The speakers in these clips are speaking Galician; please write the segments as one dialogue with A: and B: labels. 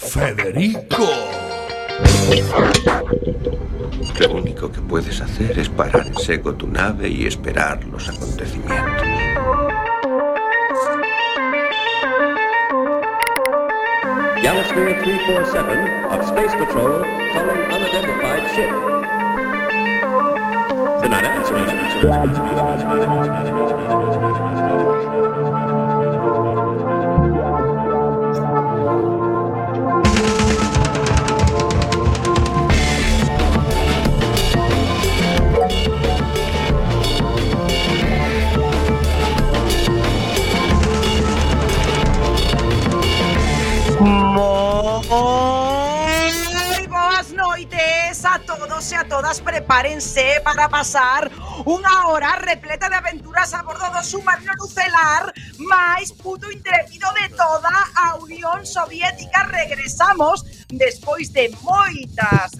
A: ¡Federico!
B: Lo único que puedes hacer es parar en seco tu nave y esperar los acontecimientos.
C: Galasphere 347 of Space Patrol calling unidentified ship. They're not answering.
D: Moi boas noites a todos e a todas. Prepárense para pasar unha hora repleta de aventuras a bordo do submarino nucelar máis puto intrépido de toda a Unión Soviética. Regresamos despois de moitas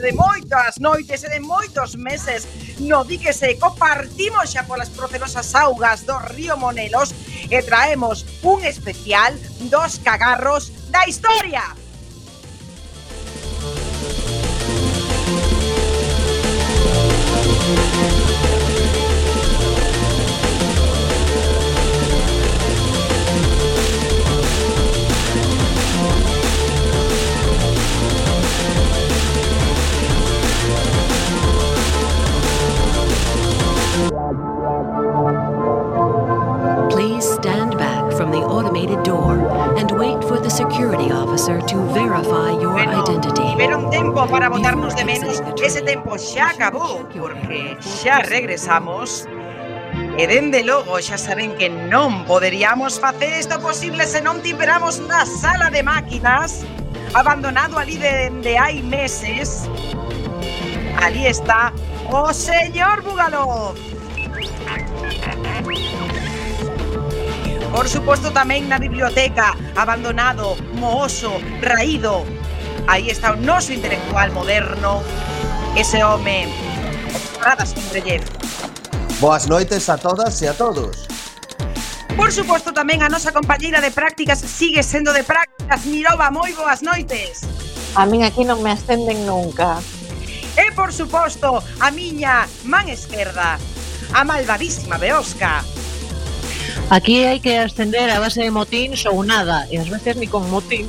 D: noites e de moitos meses no dique seco. Partimos xa polas procelosas augas do río Monelos e traemos un especial dos cagarros da historia.
E: Please stand back from the automated door and wait for the security officer to verify your identity.
D: Tiveron tempo para botarnos de menos. Ese tempo xa acabou, porque xa regresamos. E dende logo xa saben que non poderíamos facer isto posible se non tiveramos na sala de máquinas, abandonado ali de hai meses. Ali está o señor Bugalov. Por suposto tamén na biblioteca, abandonado, mooso, raído. Aí está o noso intelectual moderno, ese home, Radas Kindreyev.
F: Boas noites a todas e a todos.
D: Por suposto tamén a nosa compañeira de prácticas sigue sendo de prácticas, Mirova. Moi boas noites.
G: A min aquí non me ascenden nunca.
D: E por suposto a miña man esquerda, a malvadísima Beosca.
H: Aquí hai que ascender a base de motíns ou nada, e ás veces ni con motín.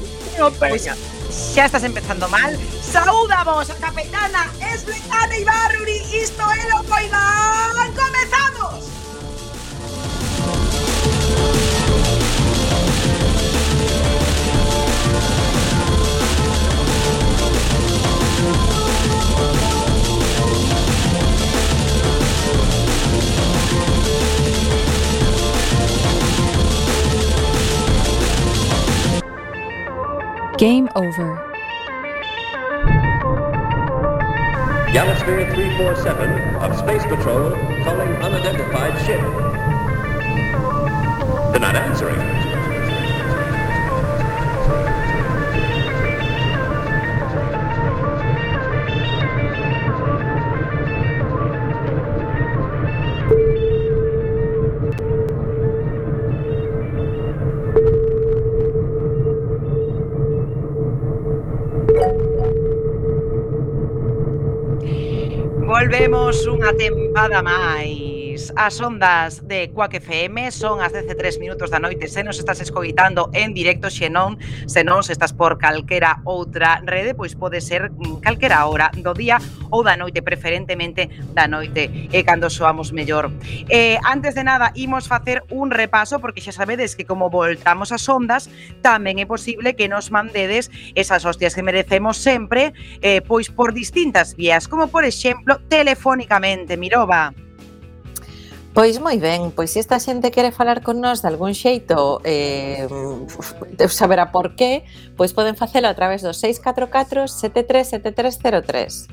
D: Pois xa estás empezando mal. Saúdamos a capitana Svetlana Ibarruri. Isto é lo Coidán. Comezamos.
I: Game over.
C: Galasphere 347 of Space Patrol calling unidentified ship. They're not answering.
D: Volvemos unha tempada máis. As ondas de Quack FM son as 13:03 da noite. Se nos estás escoitando en directo, se non se estás por calquera outra rede, pois pode ser calquera hora do día ou da noite, preferentemente da noite, e cando soamos mellor. Antes de nada, imos facer un repaso, porque xa sabedes que como voltamos as ondas, tamén é posible que nos mandedes esas hostias que merecemos sempre, pois por distintas vías, como por exemplo, telefónicamente. Mirova.
G: Pois moi ben, pois se esta xente quere falar con nós de algún xeito, saberá por qué, pois poden facelo a través do 644 737303.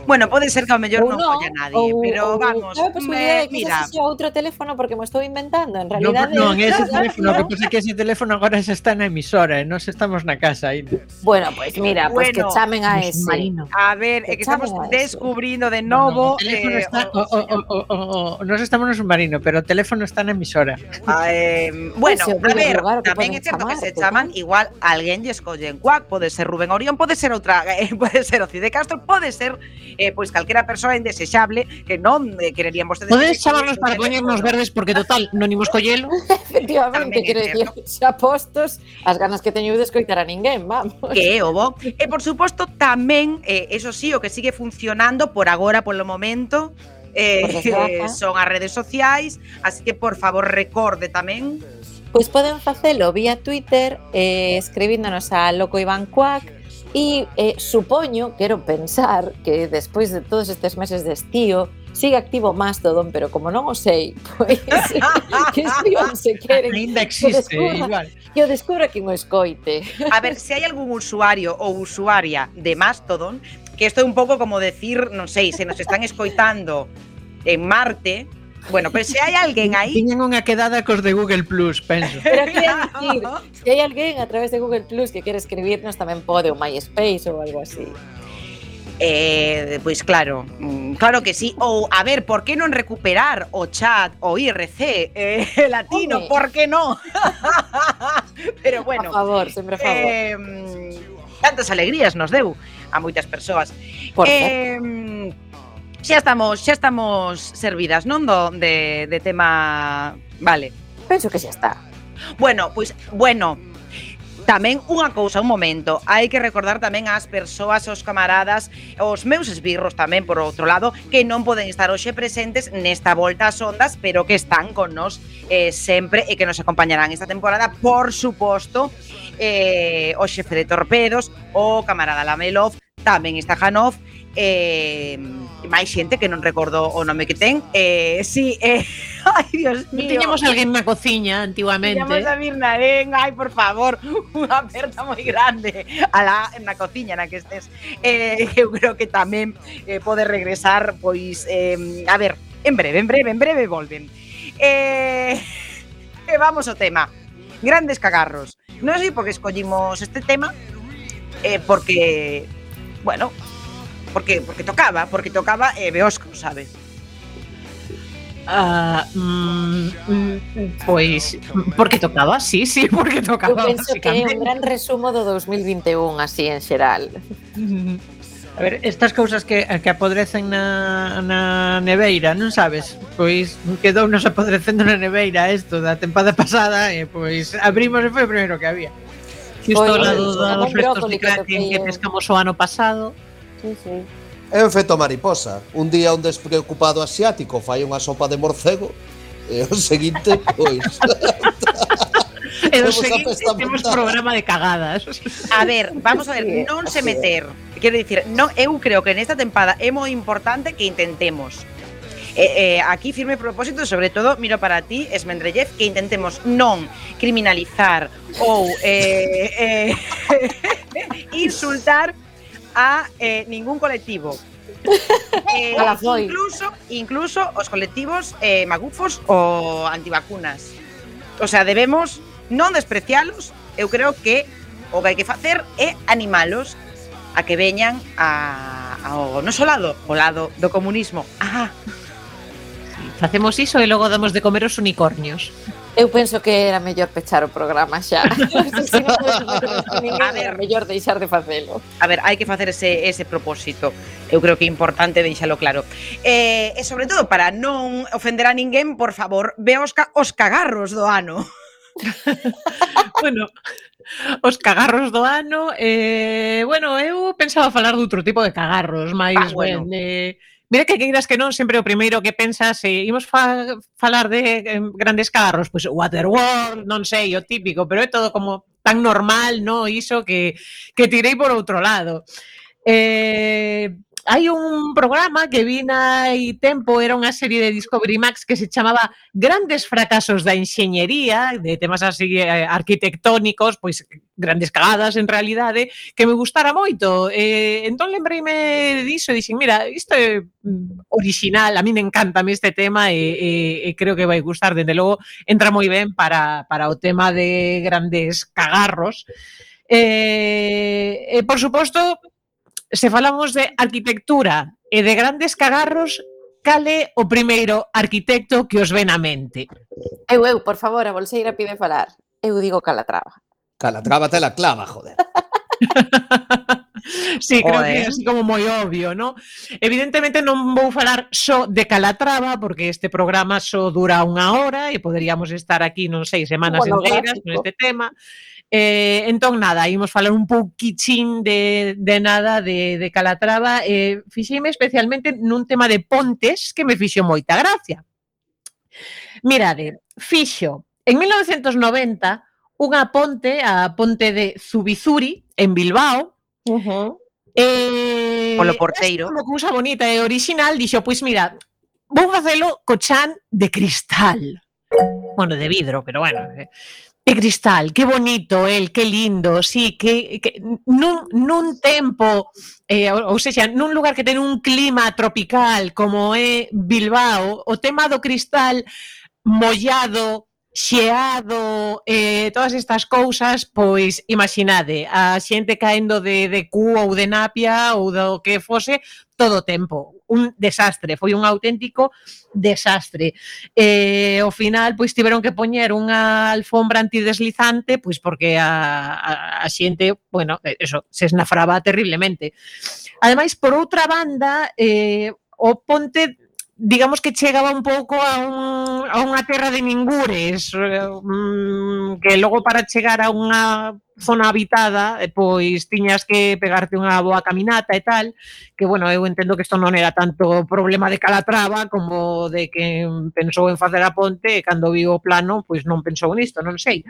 D: Bueno, pode ser que ao mellor non
G: non,
D: colla nadie, pero vamos,
G: cabe a posibilidade de que
D: mira,
G: ese sea outro teléfono porque me estou inventando, en
H: Non,
G: realidade.
H: non, ese teléfono, que pasa que ese teléfono agora xa está na emisora e nós estamos na casa aí.
G: Bueno, pois mira, pois que
D: Bueno,
G: chamen a
H: no
G: ese.
H: submarino.
D: a ver, é que estamos
G: Chamen a ese.
D: descubrindo de
H: No,
D: novo
H: o teléfono está,
D: o
H: nós estamos no submarino, pero o teléfono está na emisora.
D: bueno,
G: Ese é o
D: a
G: primeiro
D: ver,
G: lugar que
D: tamén
G: poden
D: é certo que se
G: chamar,
D: chaman igual alguén lle escollen Cuac, pode ser Rubén Orión, pode ser outra, pode ser Oci de Castro, pode ser pois calquera persoa indesexable que non quererían vostedes.
H: Podes chamarnos para poñernos verdes porque total, non imos collelo.
G: Efectivamente,
D: Tamén é
G: quero dicir, xa postos, as ganas que teño de escoitar a ninguén, vamos.
D: Que é o bo. E por suposto tamén, eso sí, o que sigue funcionando por agora, polo momento,
G: Por desgraza.
D: son as redes sociais, así que por favor recorde tamén.
G: Pois poden facelo vía Twitter, escribíndonos a Loco Iván Cuac, e supoño, quero pensar, que despois de todos estes meses de estío, sigue activo Mastodon, pero como non o sei, pois que escriban se queren.
H: Ainda existe, igual.
G: Que o descubra quen o escoite.
D: A ver, se hai algún usuario ou usuaria de Mastodon, que isto é un pouco como decir, non sei, se nos están escoitando en Marte, bueno, pero se hai alguén aí,
H: Tiñen unha quedada cos de Google Plus, penso.
G: Pero quero dicir, se hai alguén a través de Google Plus que quere escribirnos, tamén pode, o MySpace ou algo así.
D: pois claro, claro que sí. Ou, a ver, por que non recuperar o chat, o IRC latino,
G: Home.
D: por que non? Pero bueno,
G: A favor, sempre a favor.
D: Tantas alegrías nos deu a moitas persoas.
G: Por certo.
D: Xa estamos servidas, non de tema, vale.
G: Penso que xa está.
D: Bueno, tamén unha cousa, un momento, hai que recordar tamén ás persoas, aos camaradas, os meus esbirros tamén, por outro lado, que non poden estar hoxe presentes nesta volta ás ondas, pero que están con nos sempre e que nos acompañarán esta temporada, por suposto, o xefe de Torpedos, o camarada Lamelov, tamén está Janov, máis xente que non recordo o nome que ten. Sí, ai, Dios mío.
H: Tiñamos alguén na cociña antiguamente.
D: Tiñamos a Mirnarén, ai, por favor, unha aperta moi grande alá na cociña na que estés. Eu creo que tamén pode regresar, pois, a ver, en breve volven. Vamos ao tema. Grandes cagarros. Non sei por que escollimos este tema, porque, bueno, porque tocaba Beosco, sabe?
H: Pois, porque tocaba, sí, porque
G: Eu
H: tocaba.
G: penso que é un gran resumo do 2021, así en xeral.
H: A ver, estas cousas que apodrecen na neveira, non sabes? Pois quedounos apodrecendo na neveira isto da tempada pasada e pois abrimos e foi o primeiro que había. Xusto ao lado dos restos de Kraken que pescamos o ano pasado.
G: Sí, sí.
F: É un efecto mariposa. Un día un despreocupado asiático fai unha sopa de morcego e o seguinte, pois...
H: E do
F: Temos a
H: seguinte
F: festa
H: temos
F: montada.
H: programa de cagadas.
D: A ver, vamos a ver, non se meter. Quero dicir, non, eu creo que nesta tempada é moi importante que intentemos. Aquí firme propósito, sobre todo, miro para ti, Esmendrellez, que intentemos non criminalizar ou insultar a ningún colectivo. Incluso os colectivos magufos ou antivacunas. O sea, debemos non desprecialos. Eu creo que o que hai que facer é animalos a que veñan ao noso lado, o lado do comunismo.
H: Facemos iso e logo damos de comer os unicornios.
G: Eu penso que era mellor pechar o programa xa. Se non era mellor deixar de facelo.
D: A ver, hai que facer ese propósito. Eu creo que é importante deixalo claro. E sobre todo, para non ofender a ninguén, por favor, ve os cagarros do ano.
H: Bueno, os cagarros do ano, bueno, eu pensaba falar de outro tipo de cagarros, máis
D: bueno.
H: Mira que queiras que non, sempre o primeiro que pensas, imos falar de grandes cagarros, pois Waterworld, non sei, o típico, pero é todo como tan normal, no, iso que tirei por outro lado. hai un programa que vi hai tempo, era unha serie de Discovery Max que se chamaba Grandes fracasos da enxeñería, de temas así arquitectónicos, pois grandes cagadas en realidade, que me gustara moito. Entón lembrei-me diso e dixen, mira, isto é original, a mí me encanta este tema e creo que vai gustar, dende logo entra moi ben para o tema de grandes cagarros. Por suposto, se falamos de arquitectura e de grandes cagarros, cal é o primeiro arquitecto que os ven á mente?
G: Eu, por favor, a bolseira pide falar. Eu digo Calatrava.
F: Calatrava te la clava, joder.
H: Sí, creo que é así como moi obvio, ¿no? Evidentemente non vou falar só de Calatrava, porque este programa só dura 1 hora e poderíamos estar aquí, non sei, semanas enteras con este tema. Entón, nada, imos falar un pouquichín de nada de Calatrava. Fixeime especialmente nun tema de pontes que me fixo moita gracia. Mirade, fixo en 1990 unha ponte, a ponte de Zubizuri, en Bilbao.
D: Polo porteiro.
H: Como cousa bonita e original, dixo, pois mira, vou facelo co chan de cristal. Bueno, de vidro, pero bueno... De cristal, que bonito que lindo, sí, que nun tempo, ou seja, nun lugar que ten un clima tropical como é Bilbao, o tema do cristal mollado, xeado, todas estas cousas, pois imaginade, a xente caendo de cu ou de napia ou do que fose todo o tempo. Un desastre, foi un auténtico desastre. Ao final, pois tiveron que poñer unha alfombra antideslizante, pois porque a xente, bueno, eso, se esnafraba terriblemente. Ademais, por outra banda, o ponte, digamos que chegaba un pouco a unha terra de ningures, que logo para chegar a unha zona habitada, pois tiñas que pegarte unha boa caminata e tal, que, bueno, eu entendo que isto non era tanto problema de Calatrava como de que pensou en facer a ponte e cando viu o plano, pois non pensou nisto, non sei.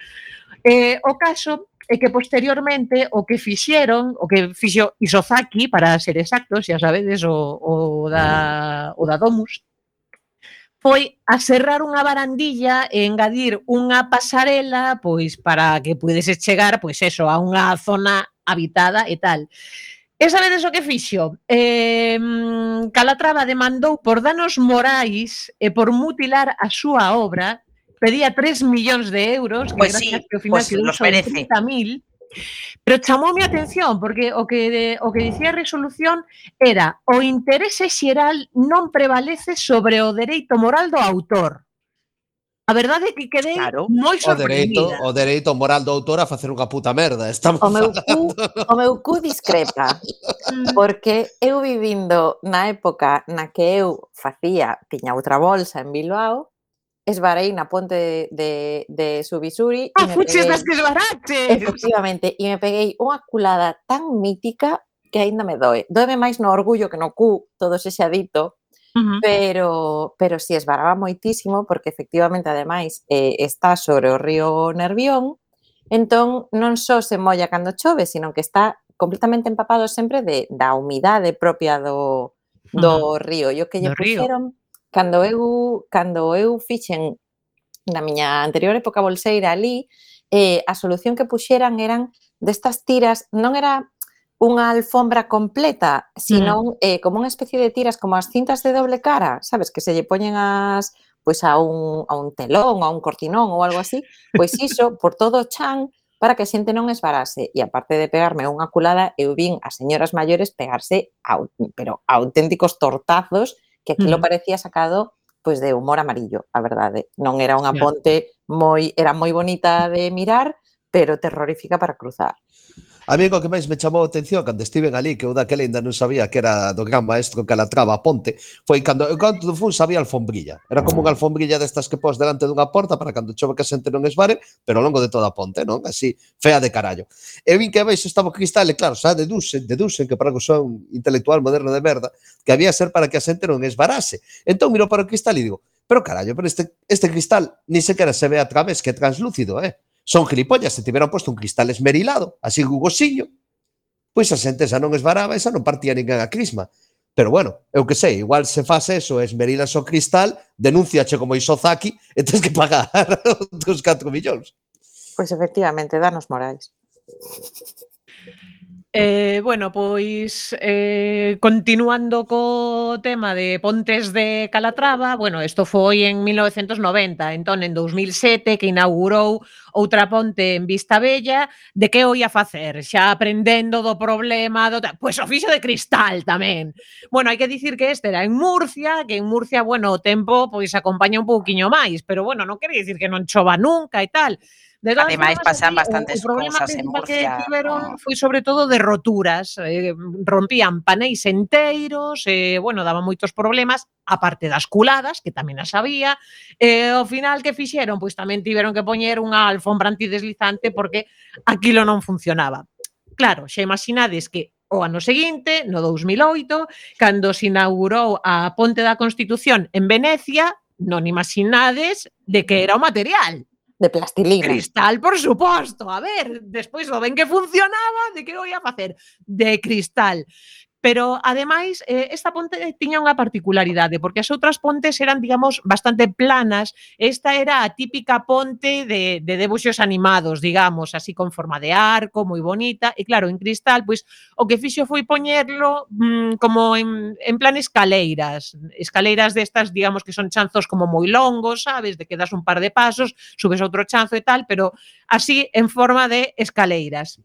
H: O caso é que posteriormente o que fixeron, o que fixo Isozaki, para ser exactos, xa sabedes, o da Domus, foi aserrar unha barandilla e engadir unha pasarela, pois para que pudeses chegar, pois eso, a unha zona habitada e tal. E sabedes o que fixo? Calatrava demandou por danos morais e por mutilar a súa obra, pedía 3 millóns de euros, que
D: Pois sí,
H: ao final
D: pois los merece.
H: 30.000, pero chamoume a atención, porque o que dicía a resolución era o interese xeral non prevalece sobre o dereito moral do autor. A verdade é que quedei moi sorprendida.
F: O dereito moral do autor a facer unha puta merda. Estamos
G: o meu cu discrepa, porque eu vivindo na época na que eu tiña outra bolsa en Bilbao, esvarei na ponte de Zubizuri.
H: Fuches das que esvaraches!
G: Efectivamente, e me peguei unha culada tan mítica que aínda me doe. Doeme máis no orgullo que no cu, todo ese xadito, pero si esvaraba moitísimo, porque efectivamente, ademais, está sobre o río Nervión, entón non só se molla cando chove, sino que está completamente empapado sempre da humidade propia do río. E o que lle puxeron... Cando eu fixen na miña anterior época bolseira ali, a solución que puxeran eran destas tiras, non era unha alfombra completa, sino como unha especie de tiras, como as cintas de doble cara, sabes, que se lle poñen pois a un telón, a un cortinón ou algo así, pois iso, por todo o chan, para que a xente non esvarase. E aparte de pegarme unha culada, eu vin as señoras maiores pegarse pero auténticos tortazos, que aquilo parecía sacado pois de Humor Amarillo, a verdade. Non era unha ponte era moi bonita de mirar, pero terrorífica para cruzar.
F: A mí o que máis me chamou a atención cando estiven ali, que eu daquela ainda non sabía que era do gran maestro Calatrava a ponte, foi cando fun sabía alfombrilla. Era como unha alfombrilla destas que pos delante dunha porta para cando chove que a xente non esvare, pero ao longo de toda a ponte, non? Así, fea de carallo. E vin que abaixo estaba o cristal, e claro, xa deducen que para que son intelectual moderno de merda, que había ser para que a xente non esvarase. Entón miro para o cristal e digo, pero carallo, pero este cristal ni sequera se ve a través, que é translúcido, Son gilipollas, se tiveran posto un cristal esmerilado, así gugosiño, pois a xente xa non esvaraba, xa non partía ninguén a crisma. Pero bueno, eu que sei, igual se faz eso, esmerilas o Cristal, denúnciache como Isozaki e tens que pagar os 4 millóns.
G: Pois efectivamente, danos morais.
H: Bueno, pois continuando co tema de pontes de Calatrava, bueno, isto foi en 1990, entón en 2007 que inaugurou outra ponte en Vistabella, de que o ia facer? Xa aprendendo do problema, pois o fixo de cristal tamén. Bueno, hai que dicir que este era en Murcia, que en Murcia, bueno, o tempo pois acompaña un pouquiño máis, pero bueno, non quere dicir que non chova nunca e tal. De todas
D: Ademais,
H: formas,
D: pasan
H: aquí
D: bastantes
H: o problema
D: cousas en
H: principal que
D: Murcia.
H: tiveron foi sobre todo de roturas, rompían paneis enteiros, bueno, daban moitos problemas, aparte das culadas, que tamén as había, ao final que fixeron? Pois tamén tiveron que poñer unha alfombra antideslizante porque aquilo non funcionaba. Claro, xa imaginades que o ano seguinte, no 2008, cando se inaugurou a Ponte da Constitución en Venecia, non imaginades de que era o material.
G: De plastilina.
H: Cristal, por suposto. A ver, despois do ben que funcionaba, de que o ia facer? De cristal. Pero, ademais, esta ponte tiña unha particularidade, porque as outras pontes eran, digamos, bastante planas. Esta era a típica ponte de debuxos animados, digamos, así con forma de arco, moi bonita. E, claro, en cristal, pois, o que fixo foi poñerlo como en plan escaleiras. Escaleiras destas, digamos, que son chanzos como moi longos, sabes? De que das un par de pasos, subes outro chanzo e tal, pero así en forma de escaleiras.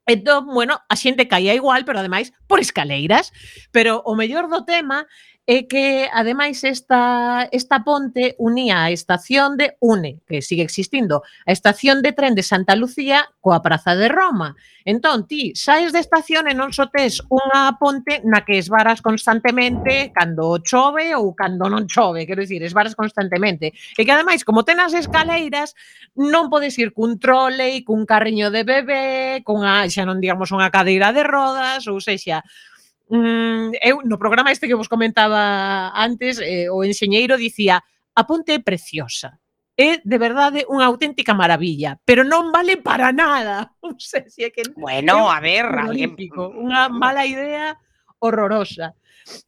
H: Entón, bueno, a xente caía igual, pero ademais por escaleiras. Pero o mellor do tema é que, ademais, esta ponte unía a estación de UNE, que sigue existindo, a estación de tren de Santa Lucía coa Praza de Roma. Entón, ti saes de estación e non só tes unha ponte na que esvaras constantemente cando chove ou cando non chove, quero dicir, esvaras constantemente. E que, ademais, como ten as escaleiras, non podes ir cun trole, cun carriño de bebé, xa non digamos unha cadeira de rodas, ou sexa, eu no programa este que vos comentaba antes, o enxeñeiro dicía a ponte é preciosa, é de verdade unha auténtica maravilla, pero non vale para nada. Non sei se é que
D: Bueno, a ver, alguén...
H: unha mala idea horrorosa.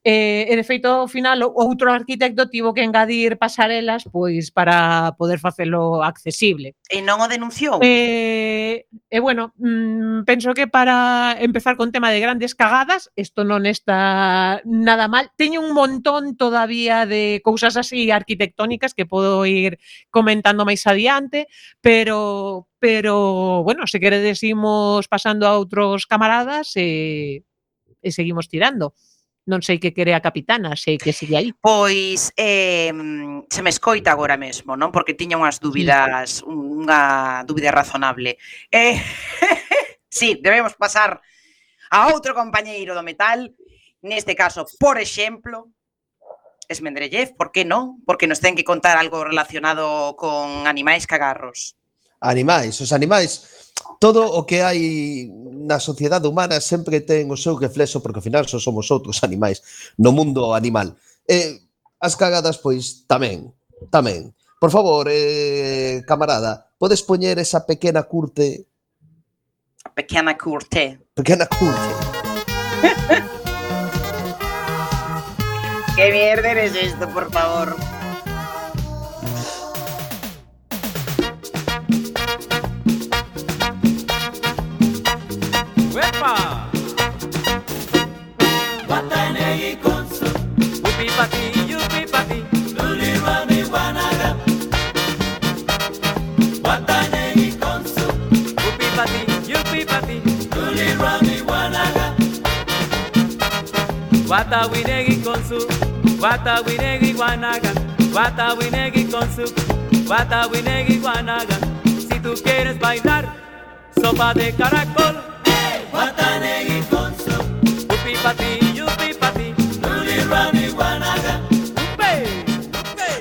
H: E de feito, ao final, outro arquitecto tivo que engadir pasarelas pois para poder facelo accesible.
D: E non o denunciou?
H: Bueno, penso que para empezar con tema de grandes cagadas, isto non está nada mal. Teño un montón todavía de cousas así arquitectónicas que podo ir comentando máis adiante, pero bueno, se queredes imos pasando a outros camaradas e seguimos tirando. Non sei que quere a capitana, sei que sigue aí.
D: Pois se me escoita agora mesmo, non? Porque tiña unhas dúbidas, unha dúbida razonable. Sí, debemos pasar a outro compañeiro do metal, neste caso, por exemplo, Esmendrellez, por que non? Porque nos ten que contar algo relacionado con animais cagarros.
F: Animais, os animais, todo o que hai na sociedade humana sempre ten o seu reflexo, porque ao final só somos outros animais no mundo animal. As cagadas, pois, tamén. Por favor, camarada, podes poñer esa pequena curte?
D: Pequena curte.
F: Pequena curte.
D: Que mierda eres esto, por favor?
A: ¡Uepa! Watanegi konsu, upi pati, luli rami wanaga. Watanegi konsu, upi pati, luli rami wanaga. Watawinegi konsu, watawinegi wanaga. Watawinegi konsu, watawinegi wanaga. Si tú quieres bailar sopa de caracol, Watanegi konsu, upi pati, luli rami wanaga.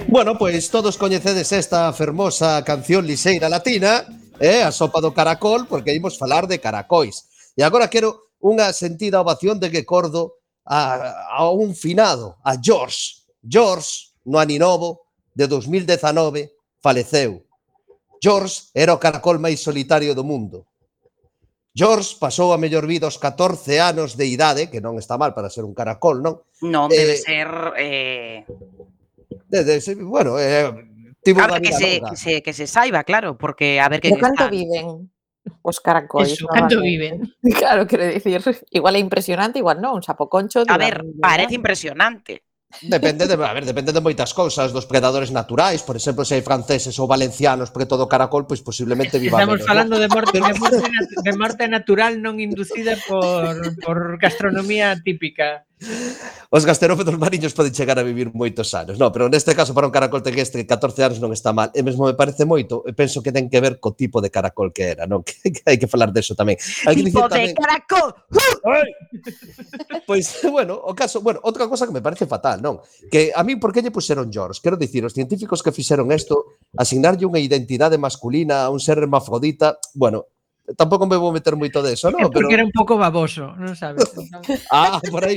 F: Bueno, pois todos coñecedes esta fermosa canción liseira latina, a sopa do caracol, porque imos falar de caracois. E agora quero unha sentida ovación de recordo a un finado, a George. George, no aninovo de 2019, faleceu. George era o caracol máis solitario do mundo. George pasou a mellor vida aos 14 anos de idade, que non está mal para ser un caracol, non?
D: Non, debe ser...
F: Bueno, tivo
D: Claro,
F: unha vida longa.
D: que se saiba, claro, porque a ver que
G: Pero canto viven os caracois?
H: Eso, canto
G: normalmente?
H: viven.
G: Claro, quero dicir, igual é impresionante, igual non, un sapoconcho...
D: A ver, parece impresionante.
F: Depende de moitas cousas, dos predadores naturais, por exemplo, se hai franceses ou valencianos preto do caracol, pois posiblemente viva
H: Estamos
F: menos.
H: falando de morte natural non inducida por gastronomía típica.
F: Os gasterópodos mariños poden chegar a vivir moitos anos. No, pero neste caso para un caracol terrestre 14 anos non está mal. E mesmo me parece moito, e penso que ten que ver co tipo de caracol que era, non? Que hai que falar deso tamén.
D: Tipo de caracol.
F: Pois, bueno, outra cosa que me parece fatal, non? Que a mí por que lle puxeron George? Quero dicir, os científicos que fixeron isto, asignarlle unha identidade masculina a un ser hermafrodita, bueno, tampouco me vou meter moito deso, non?
H: Porque era un pouco baboso, non sabes?
F: Por aí.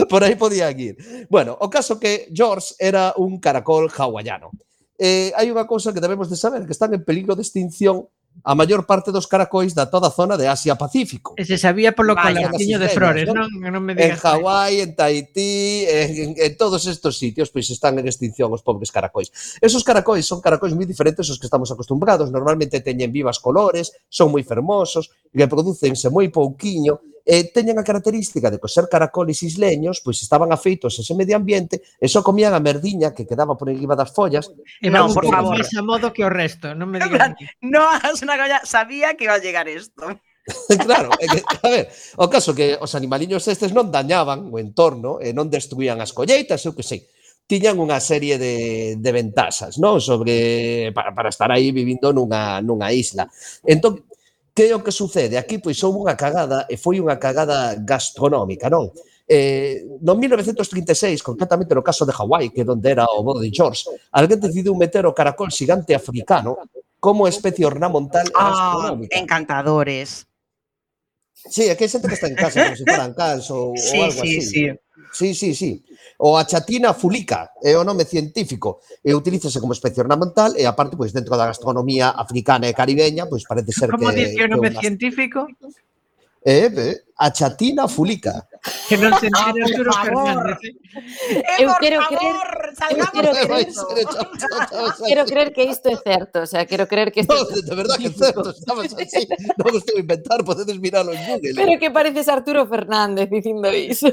F: Por aí podían ir. Bueno, o caso que George era un caracol hawaiano. Hai unha cousa que debemos de saber, que están en peligro de extinción a maior parte dos caracois da toda a zona de Asia-Pacífico.
H: E se sabía polo calorciño de Frores, non? Non me
F: En
H: digas.
F: Hawái, en Tahití, en todos estos sitios, pois están en extinción os pobres caracois. Esos caracois son caracois moi diferentes aos que estamos acostumbrados. Normalmente teñen vivas colores, son moi fermosos, reprodúcense moi pouquiño, e teñen a característica de que ser caracoles isleños, pois estaban afeitos a ese medio ambiente e só comían a merdiña que quedaba por enriba das follas.
H: E
D: Non,
H: vamos
D: por favor.
H: máis a modo que o resto, non me digas.
D: No hagas una coña, sabía que iba a llegar esto.
F: Claro, a ver, o caso que os animaliños estes non dañaban o entorno e non destruían as colleitas, eu que sei. Tiñan unha serie de ventaxas, non? Sobre para estar aí vivindo nunha isla. Entón, que é o que sucede? Aquí pois houve unha cagada e foi unha cagada gastronómica, non? No 1936, concretamente no caso de Hawái, que é onde era o bo de George, alguén decidiu meter o caracol xigante africano como especie ornamental e gastronómica.
D: Encantadores.
F: Sí, é que hai xente que está en casa como se fueran cans ou algo así. Sí. O achatina fulica é o nome científico e utilízase como especie ornamental e aparte, pois, dentro da gastronomía africana e caribeña, pois parece ser
H: Como
F: que...
H: dice o nome científico?
F: Achatina fulica.
H: Que non se entende Arturo Fernández.
G: Eu quero creer que isto é certo, o sea, quero creer que isto
F: No, de verdad que é certo, estabas así, non o estou a inventar, podedes miralo en Google.
G: Pero que pareces Arturo Fernández dicindo iso.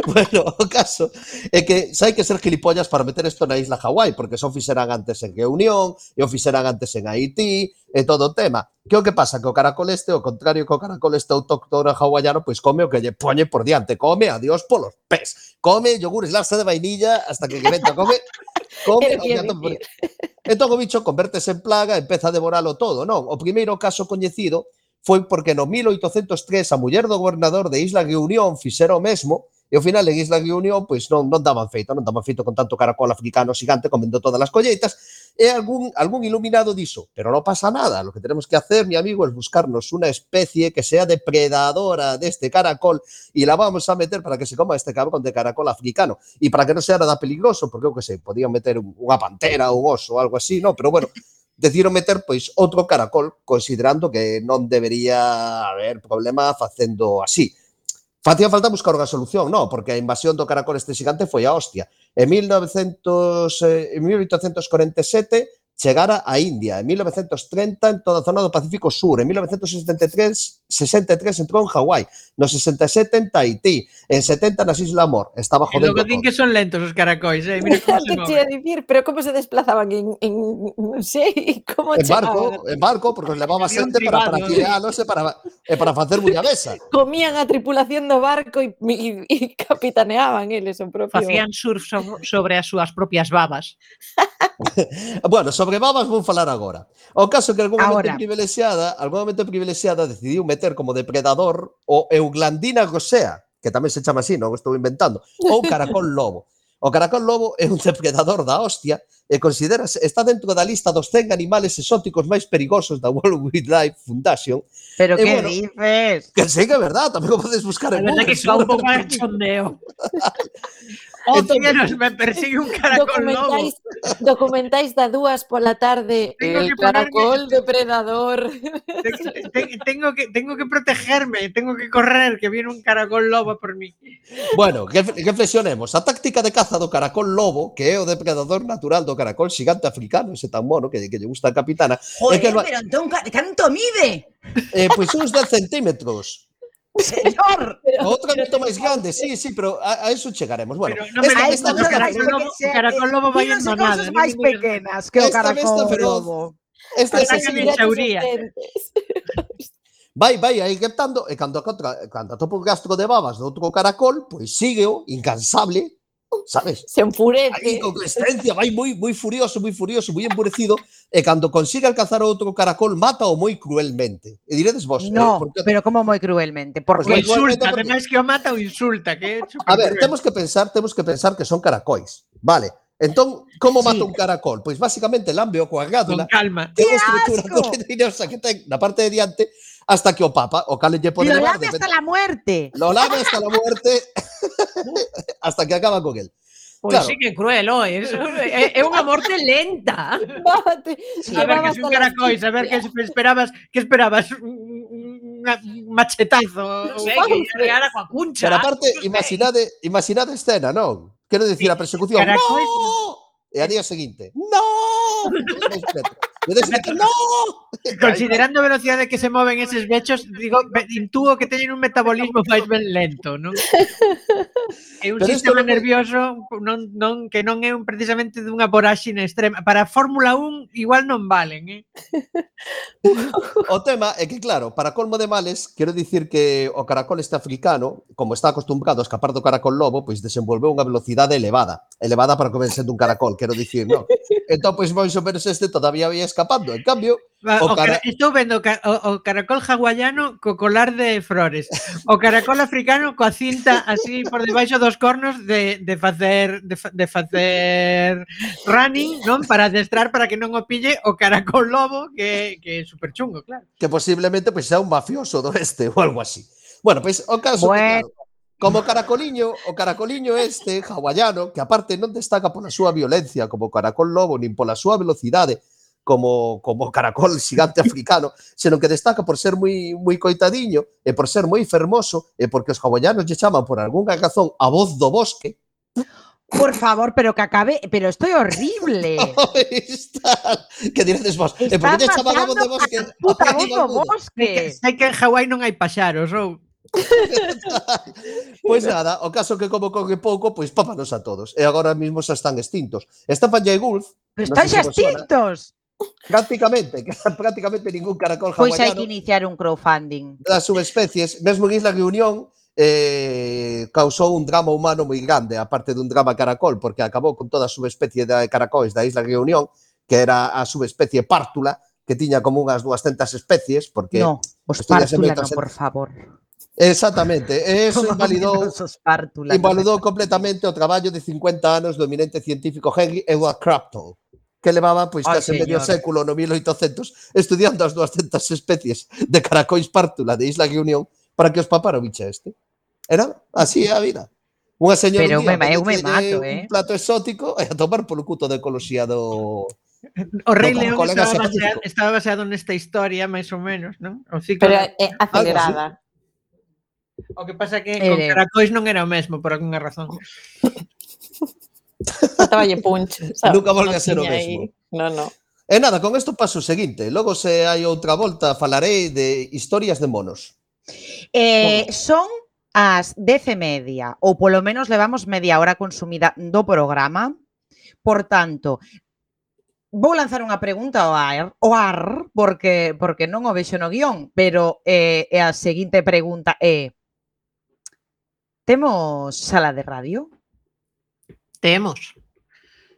F: Bueno, o caso é que xa hai que ser gilipollas para meter isto na isla Hawái, porque son fixeran antes en Reunión, e o fixeran antes en Haití, e todo o tema. Que o que pasa? Que o caracol este, ao contrario que o caracol este autóctono hawaiano, pois come o que lle poñe por diante, come a Dios polos pés, come yogures larsa de vainilla hasta que venta, come entón o bicho convértese en plaga e empeza a devoralo todo, non? O primeiro caso coñecido foi porque no 1803 a muller do gobernador de Isla Reunión fixera o mesmo e ao final en Isla Reunión pois non daban feito con tanto caracol africano xigante comendo todas as colleitas e algún iluminado dixo, pero non pasa nada, lo que tenemos que hacer, mi amigo, es buscarnos una especie que sea depredadora de este caracol y la vamos a meter para que se coma este cabrón de caracol africano y para que non sea nada peligroso, porque eu que sei, podían meter unha pantera ou un oso ou algo así, no, pero bueno, decidiron meter pois outro caracol considerando que non debería haber problema facendo así. Facía falta buscar unha solución, non, porque a invasión do caracol este xigante foi a hostia. En 1847 chegara a India, en 1930 en toda a zona do Pacífico Sur, en 1963 entrou en Hawái, no 67 en Tahití, en 70 nas Islas Mor, estaba jodendo.
H: E logo din que son lentos os caracois, mira como se moven.
G: Dicir, pero como se desplazaban non sei, como chegaban?
F: En barco, porque os levaba xente para guialos e para facer bullabesa.
G: Comían a tripulación do barco e capitaneaban eles o propio.
H: Facían surf sobre as súas propias babas.
F: Bueno, sobre babas vou falar agora. O caso que algún momento privilexiada decidiu meter como depredador o Euglandina rosea, que tamén se chama así, non o estou inventando, ou caracol lobo. O caracol lobo é un depredador da hostia e está dentro da lista dos 100 animales exóticos máis perigosos da World Wildlife Foundation.
D: Pero que dices?
F: Que sei que é verdade, tamén o podes buscar en Google.
H: A verdade que está un pouco de chondeo. Tíos, me persigue un caracol lobo.
G: Documentáis da 2 pola tarde
H: Tengo
G: el
H: que ponerme-
G: caracol depredador.
H: Tengo que protegerme, tengo que correr, que viene un caracol lobo por mí.
F: Bueno, reflexionemos. A táctica de caza do caracol lobo, que é o depredador natural do caracol xigante africano, ese tan mono que lle gusta a capitana,
I: Joder,
F: é que
I: pero entón, canto mide?
F: pois uns 10 centímetros.
I: Señor.
F: Outra moito máis grande, sí, pero a eso chegaremos. Bueno,
H: Pero non me
I: A
H: gusta
I: eso
H: o caracol
I: chegaremos,
H: lobo,
I: que
H: o caracol lobo vai en
I: Dinos
H: manada.
I: cousas máis pequenas que o
F: Esta
I: caracol
F: besta feroz.
I: lobo.
F: Esta é
H: Atacan
F: así,
H: en xauría.
F: vai aí reptando, e cando atopa un rastro de babas de outro caracol, pois sígueo, incansable, sabes?
G: Se enfurece.
F: Aí con consistencia, vai moi furioso, moi enfurecido, e cando consigue alcanzar outro caracol, mátao moi cruelmente. E diredes vos,
I: No,
F: porque,
I: pero como moi cruelmente. Por
F: Pues
H: O
F: moi
I: que
F: igualmente,
H: insulta,
F: porque-
H: ademais que o mata o insulta, que é
F: a ver,
H: supercruel.
F: temos que pensar que son caracois, vale? Entón, como
I: Sí.
F: mata un caracol? Pois basicamente lambeo coa
H: Con
F: gádula,
H: calma.
F: que é unha estructura
I: asco!
F: dolorosa que ten na parte de diante, hasta que o papa, o cale lle pode
I: lo
F: levar,
I: lame hasta la muerte.
F: lo lame hasta la muerte, hasta que acaba con él.
J: Pois
F: Claro.
J: sí que cruel, eso é unha morte lenta.
G: Bájate.
H: A ver, que es un caracol, a ver, que esperabas? Un machetazo.
J: Non sei, que lle reara coa cuncha.
F: Pero aparte, imaginade a escena, non? Quero dicir, a persecución,
H: Caracois.
F: ¡no! E a día seguinte, ¡no! E o día seguinte, ¡no!
H: Considerando a velocidade que se moven eses bechos, digo, intúo que teñen un metabolismo máis ben lento, non? É un
F: Pero isto
H: sistema
F: non é-
H: nervioso que non é precisamente dunha voráxine extrema. Para a Fórmula 1 igual non valen,
F: O tema é que, claro, para colmo de males, quero dicir que o caracol este africano, como está acostumbrado a escapar do caracol lobo, pois desenvolveu unha velocidade elevada para comer sendo un caracol, quero dicir, non? Entón, pois, máis ou menos este todavía ia escapando. En cambio,
H: Estou vendo o caracol hawaiano co colar de flores, o caracol africano coa cinta así por debaixo dos cornos de facer running, non? Para adestrar para que non o pille o caracol lobo, que é super chungo, claro.
F: que posiblemente pois sea un mafioso do este ou algo así. Bueno, pois o caso
I: Bueno.
F: que, claro, como o caracoliño este hawaiano, que aparte non destaca pola súa violencia como o caracol lobo, nin pola súa velocidade como o caracol xigante africano, senón que destaca por ser moi coitadiño e por ser moi fermoso e porque os hawaianos lle chaman por algunha razón a voz do bosque.
I: Por favor, pero que acabe, pero estoy horrible.
F: Está, que diredes vos, e por que lle chaman a voz do bosque?
I: Puta
F: Ai,
I: voz do
F: mamuda.
I: bosque.
H: Sei que en Hawái non hai paxaros, ou?
F: Pois nada, o caso que como coge pouco, pois pápanos a todos. E agora mesmo xa están extintos. Stefan Jay Gould,
I: Pero
F: non
I: están
F: sei
I: xa
F: se vos sona,
I: extintos.
F: prácticamente ningún caracol
I: Pois hai
F: hawaiano
I: que iniciar un crowdfunding.
F: das subespecies, mesmo en Isla Reunión, causou un drama humano moi grande, aparte dun drama caracol, porque acabou con toda a subespecie de caracois da Isla Reunión, que era a subespecie pártula, que tiña como unhas 200 especies, porque
I: No, os
F: estudiase
I: pártula
F: moito
I: no, por favor.
F: Exactamente, e eso invalidou
I: Os pártula.
F: invalidou completamente o traballo de 50 anos do eminente científico Henry Edward Crafton, que levaba pois
I: Ai,
F: case medio
I: señor.
F: século no 1800 estudiando as 200 especies de caracois pártula de Isla Reunión para que os papara o bicho este. Era así é a vida. Unha señora
I: Pero
F: un día
I: eu me
F: apetecelle
I: mato,
F: un plato exótico e a tomar polo cuto de ecoloxía do...
H: O Rei
F: No, como
H: León
F: colega
H: estaba
F: científico.
H: baseado nesta historia, máis ou menos, non? O ciclo.
G: Pero é acelerada.
H: O que pasa que con caracois non era o mesmo, por algunha razón.
G: Faltaballe punch. Sabes?
F: Nunca volve a ser o
G: tiña aí-
F: mesmo.
G: No.
F: E nada, con isto paso o seguinte. Logo, se hai outra volta, falarei de historias de monos.
I: Son as 10:30, ou polo menos levamos media hora consumida do programa. Por tanto, vou lanzar unha pregunta ao ar porque non o vexo no guión, pero a seguinte pregunta é: temos sala de radio?
H: Temos.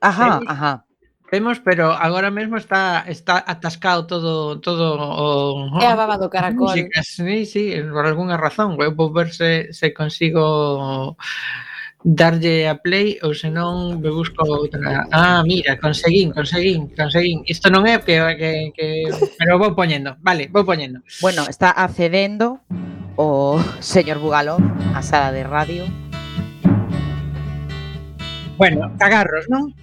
I: Ajá.
H: Temos, pero agora mesmo está atascado todo o
G: É a baba do caracol.
H: músicas. Sí, por algunha razón. Eu vou ver se consigo darlle a play ou senón me busco outra. Ah, mira, conseguín. Isto non é que pero vou poñendo. Vale, vou poñendo.
I: Bueno, está accedendo o señor Bugalón á sala de radio.
H: Bueno, cagarros, non?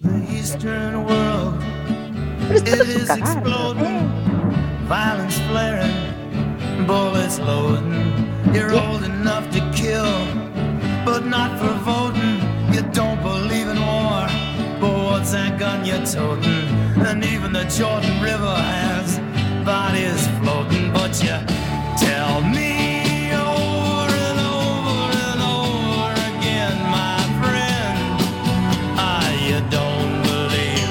I: Pero isto é un cagarro.
K: Violence flaring, bullets loading. You're old enough to kill, but not for voting. You don't believe in war, but what's that gun you're toting? And even the Jordan River has bodies floating. But you tell me over and over and over again, my friend, you don't believe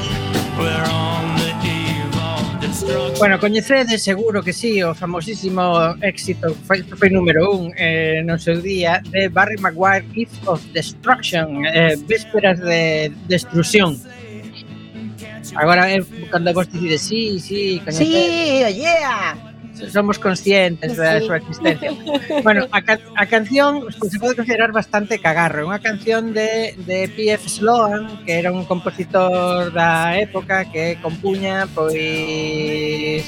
K: we're on the eve of destruction.
H: Bueno, coñecedes seguro que sí o famosísimo éxito foi número 1 no seu día de Barry Maguire, Eve of Destruction, Vísperas de Destrucción. Agora cando vos decides sí, coñecedes.
I: Sí, yeah.
H: Somos conscientes da súa existencia. Bueno, a canción se pode considerar bastante cagarro. É unha canción de P.F. Sloan, que era un compositor da época que compuña pois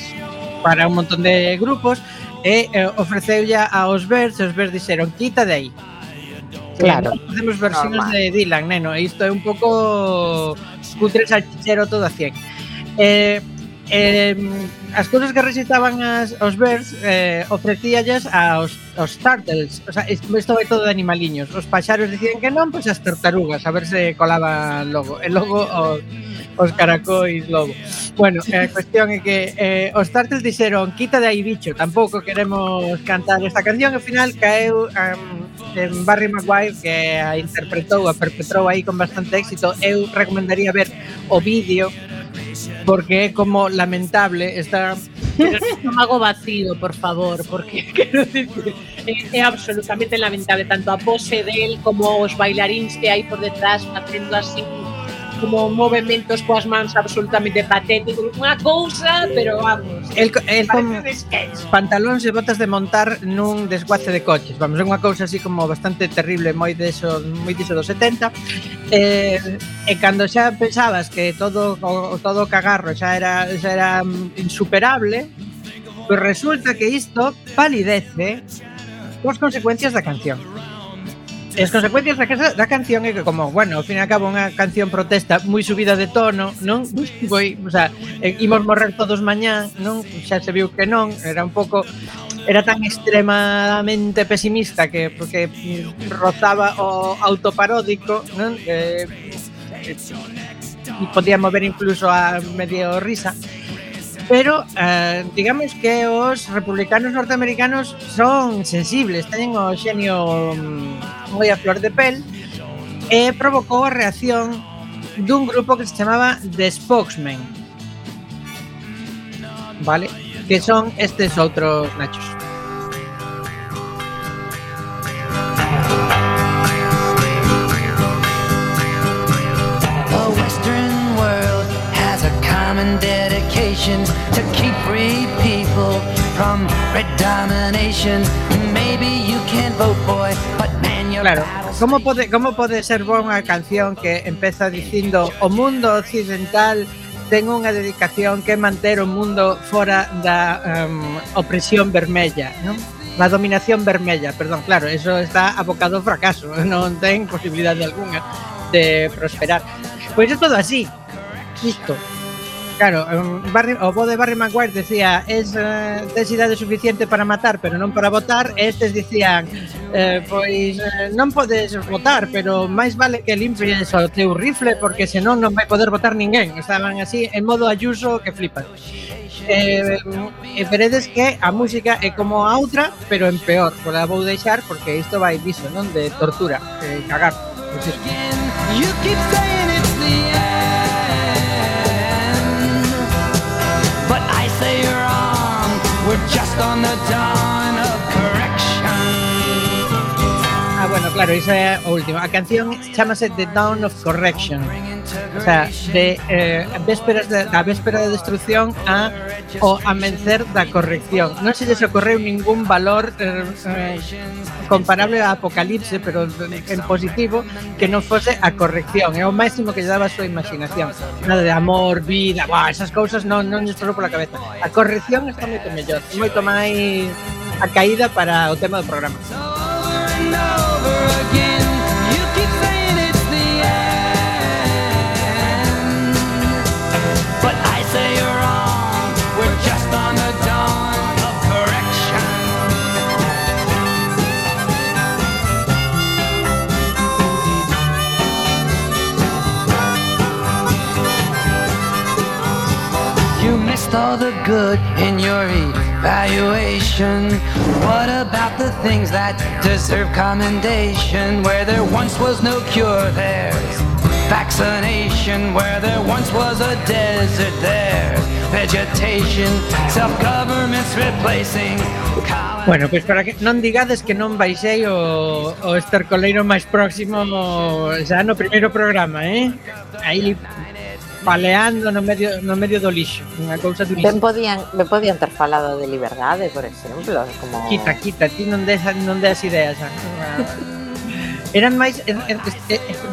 H: para un montón de grupos e ofreceulle aos Birds, os Birds dixeron, quita de aí.
I: Claro.
H: Facemos versións de Dylan, neno, e isto é un pouco cutre salchichero todo a 100. As cousas que recitaban os Birds ofrecíalles aos Turtles. O sea, isto vai todo de animaliños. Os paxaros dicían que non, pois as tartarugas, a ver se colaban logo. E logo os caracois logo. Bueno, a cuestión é que os Turtles dixeron, quita de aí, bicho, tampouco queremos cantar esta canción. Ao final caeu en Barry Maguire, que a interpretou, a perpetrou aí con bastante éxito. Eu recomendaría ver o vídeo, porque é como lamentable está
J: pero no estómago vacío, por favor, porque quero decir que é absolutamente lamentable tanto a pose del como os bailarins que hai por detrás facendo así como movementos coas mans absolutamente patéticos, unha cousa, pero vamos,
H: el con pantalóns e botas de montar nun desguace de coches, vamos, é unha cousa así como bastante terrible, moi diso dos 70, e cando xa pensabas que todo o cagarro xa era insuperable, pois resulta que isto palidece coas consecuencias da canción. E as consecuencias da canción é que, como, bueno, ao fin e ao cabo unha canción protesta moi subida de tono, non? O sea, imos morrer todos mañá, non? Xa se viu que non, era un pouco, era tan extremadamente pesimista que porque rozaba o autoparódico, non? E podía mover incluso a medio risa. Pero digamos que os republicanos norteamericanos son sensibles, teñen o xenio moi a flor de pel, e provocou a reacción dun grupo que se chamaba The Spokesmen, vale? Que son estes outros nachos.
K: To keep free people from red domination. Maybe you can't vote, boy, but man, you're
H: claro. Como pode ser boa unha canción que empeza dicindo o mundo occidental ten unha dedicación que é manter o mundo fora da opresión vermella, non? La dominación vermella, perdón, claro, eso está abocado ao fracaso, non ten posibilidade alguna de prosperar. Pois é todo así, isto. Claro, o bo de Barry Maguire decía tes idade suficiente para matar, pero non para votar, e estes dicían non podes votar, pero máis vale que limpies o teu rifle porque senón non vai poder votar ninguén. Estaban así en modo Ayuso que flipan. E veredes que a música é como a outra, pero en peor. Pola vou deixar porque isto vai diso, non? De tortura, cagar. Pues
K: you keep saying it's the end. But I say you're wrong, we're just on the dawn of correction.
H: Bueno, claro, iso é o último. A canción chamase The Dawn of Correction. O sea, de da véspera de destrucción o amencer da corrección. Non se lles ocorreu ningún valor comparable a Apocalipse, pero en positivo, que non fose a corrección. É o máximo que lle daba a súa imaginación. Nada de amor, vida, esas cousas non lles pasou pola cabeza. A corrección está moito mellor, moito máis a caída para o tema do programa.
K: Over again, you keep saying it's the lost all the good in your evaluation? What about the things that deserve commendation? Where there once was no cure, there's vaccination. Where there once was a desert, there's vegetation. Self-government's replacing.
H: Bueno, pois para que non digades que non baixei o estercoleiro máis próximo xa no primeiro programa, aí paleando no medio do lixo, unha cousa durísima.
G: Me podían ter falado de liberdade, por exemplo, como...
H: Quita, ti non des ideas. Eran máis...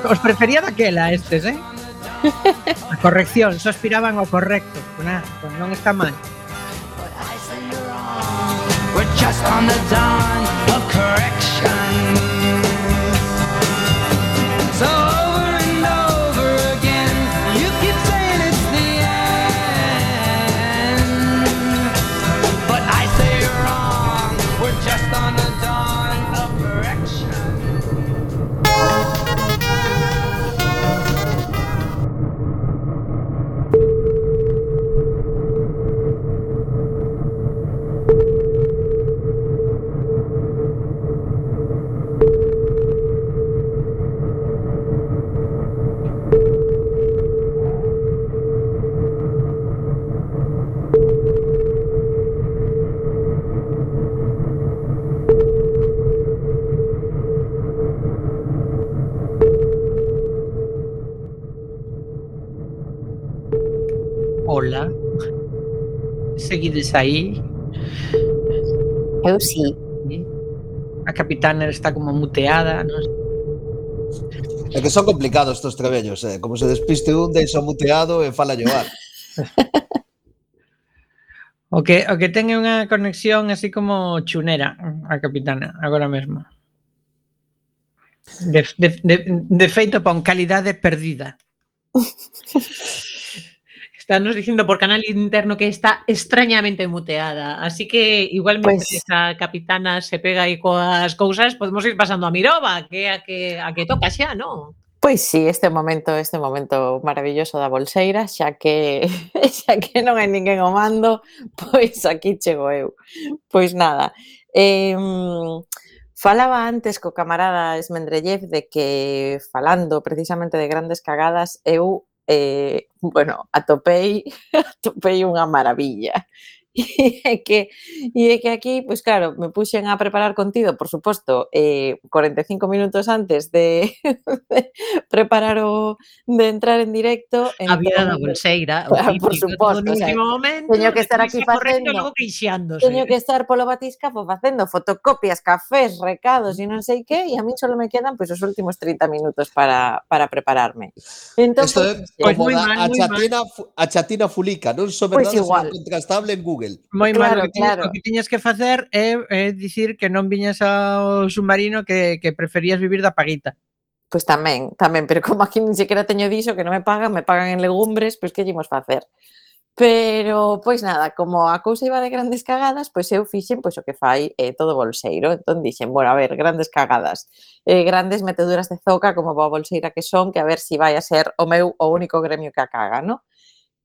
H: os prefería daquela estes, A corrección, só aspiraban ao correcto. Pues non está mal.
K: We're just on the dawn of correction. So over and over again, you keep saying it's the end. But I say you're wrong. We're just on the dawn of correction.
H: Hola. Seguides aí?
G: Eu sí.
H: A capitana está como muteada, non sei.
F: É que son complicados estos trebellos, como se despiste un, deixa muteado e fala llovar.
H: O que ten é unha conexión así como chunera a capitana, agora mesmo. De feito, pon calidade perdida.
J: Estános dicindo por canal interno que está extrañamente muteada, así que igualmente esa capitana se pega aí coas cousas, podemos ir pasando a Miroba, que a que toca xa, non?
G: Pois sí, este momento maravilloso da bolseira, xa que non hai ninguén ao mando, pois aquí chego eu. Pois nada, falaba antes co camarada Esmendrellev de que, falando precisamente de grandes cagadas, eu atopei unha maravilla. E é que aquí, pois claro, me puxen a preparar contido, por suposto, 45 minutos antes de preparar de entrar en directo.
J: A vida da bolseira,
G: claro, por suposto, teño que estar aquí facendo, teño que estar polo batiscafo facendo fotocopias, cafés, recados e non sei que, e a mí só me quedan pois os últimos 30 minutos para prepararme. Entón,
F: isto é como a chatina fulica, non son verdade, sino contrastable en Google.
H: Moi mal, o que tiñas que facer é dicir que non viñas ao submarino, que preferías vivir da paguita.
G: Pois tamén, pero como aquí nin sequera teño diso que non me pagan en legumbres, pois que ímos facer? Pero, pois nada, como a cousa iba de grandes cagadas, pois eu fixen pois o que fai todo bolseiro. Entón dixen, bueno, a ver, grandes cagadas, grandes meteduras de zoca como boa bolseira que son, que a ver si vai a ser o único gremio que a caga, non?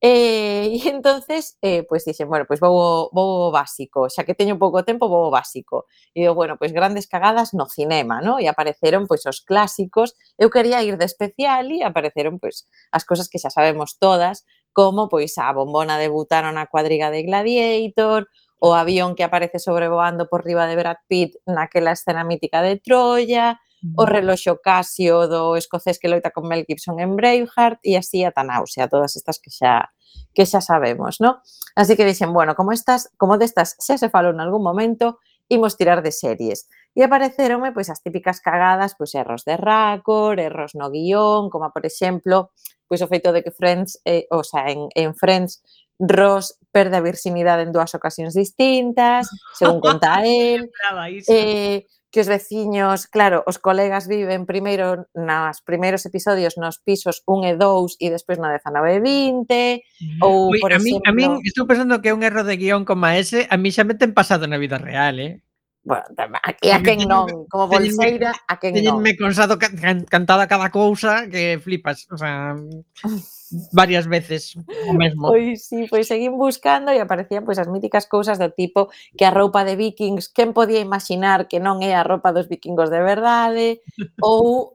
G: E entonces, pois dixen, bueno, pois vou básico, xa que teño pouco tempo, vou básico. E digo, bueno, pois grandes cagadas no cinema, non? E apareceron pois os clásicos. Eu quería ir de especial e apareceron pois as cousas que xa sabemos todas, como pois a bombona de butano na cuadriga de Gladiator, o avión que aparece sobrevoando por riba de Brad Pitt naquela escena mítica de Troya, o reloxo Casio do escocés que loita con Mel Gibson en Braveheart e así ata náusea, todas estas que xa sabemos, ¿no? Así que dixen, bueno, como destas xa se falou en algún momento, imos tirar de series. E apareceronme pois as típicas cagadas, pois erros de racor, erros no guión, como por exemplo, pois o feito de que Friends, en Friends, Ross perde a virxinidade en 2 ocasións distintas, según conta él, que os veciños, claro, os colegas viven primeiro nos primeiros episodios nos pisos 1 e 2 e despois no 19 e 20, ou, por exemplo...
H: A min estou pensando que é un erro de guión como ese, a mí xa me ten pasado na vida real,
G: Bueno, aquí a quen non, como bolseira, a quen non.
H: Teñenme cansado cantada cada cousa que flipas, o sea... varias veces o mesmo.
G: Pois sí, pois seguín buscando e aparecían pois as míticas cousas do tipo que a roupa de vikings, quen podía imaginar que non é a roupa dos vikingos de verdade, ou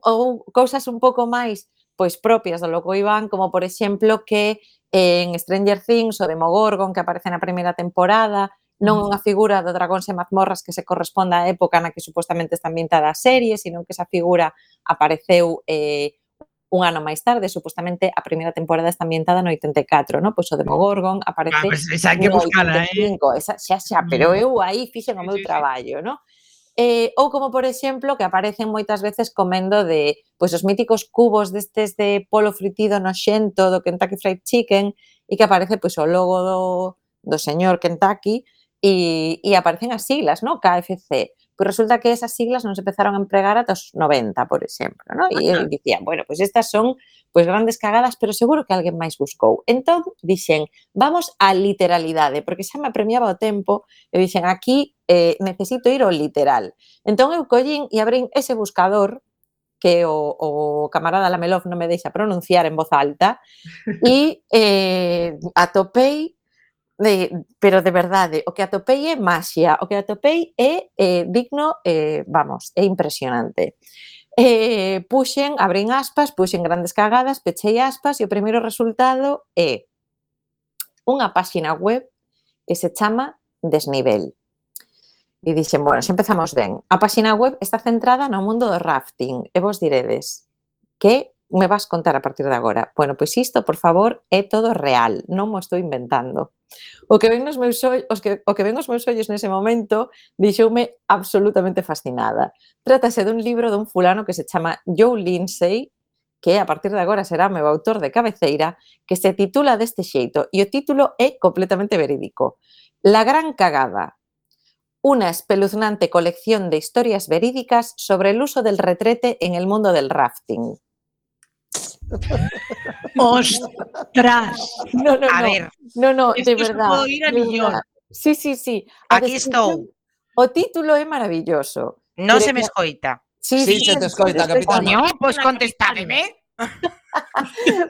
G: cousas un pouco máis pois propias do Loco Iván, como por exemplo que en Stranger Things o Demogorgon que aparece na primeira temporada non unha figura do Dragóns e Mazmorras que se corresponda á época na que supostamente está ambientada a serie, sino que esa figura apareceu un ano máis tarde, supostamente a primeira temporada está ambientada no 84, non? Pois o Demogorgon aparece
H: Pues esa hai que
G: no
H: buscala,
G: 85, esa xa, pero eu aí fixen o meu traballo, non? Ou como, por exemplo, que aparecen moitas veces comendo de pois os míticos cubos destes de polo fritido noxento do Kentucky Fried Chicken e que aparece pois o logo do señor Kentucky e aparecen as siglas, non? KFC. Pois resulta que esas siglas non se empezaron a empregar ata os 90, por exemplo, non? E eu dicía, bueno, pois estas son pois grandes cagadas, pero seguro que alguén máis buscou. Entón, dixen, vamos á literalidade, porque xa me apremiaba o tempo, e dixen, aquí necesito ir ao literal. Entón eu collín e abrín ese buscador que o camarada Lamelov non me deixa pronunciar en voz alta e atopei pero de verdade, o que atopei é maxia, o que atopei é digno, vamos, é impresionante. Abrín aspas, puxen grandes cagadas, pechei aspas e o primeiro resultado é unha páxina web que se chama Desnivel. E dixen, bueno, xa empezamos ben. A páxina web está centrada no mundo do rafting e vos diredes, que me vas contar a partir de agora? Bueno, pois isto, por favor, é todo real, non mo estou inventando. O que ven os meus ollos nese momento deixoume absolutamente fascinada. Trátase dun libro dun fulano que se chama Joe Lindsay, que a partir de agora será o meu autor de cabeceira, que se titula deste xeito, e o título é completamente verídico. La gran cagada. Una espeluznante colección de historias verídicas sobre el uso del retrete en el mundo del rafting.
J: ¡Ostras!
G: No,
D: A ver.
G: No,
J: Es
G: de
J: que
G: verdad.
J: puedo ir a
G: de
J: millón.
G: verdad. Sí.
D: Aquí estou.
G: O título é maravilloso.
D: Non
G: Pero
D: se me
G: que-
D: escoita.
F: Sí, se te escoita, capitán.
D: Coño, pois contestádeme.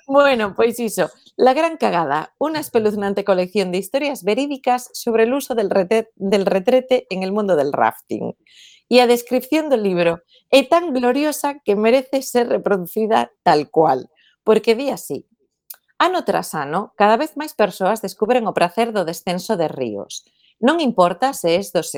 G: Bueno, pois iso. La gran cagada, una espeluznante colección de historias verídicas sobre el uso del retrete en el mundo del rafting. E a descripción do libro é tan gloriosa que merece ser reproducida tal cual, porque di así: ano tras ano, cada vez máis persoas descubren o prazer do descenso de ríos. Non importa se és dos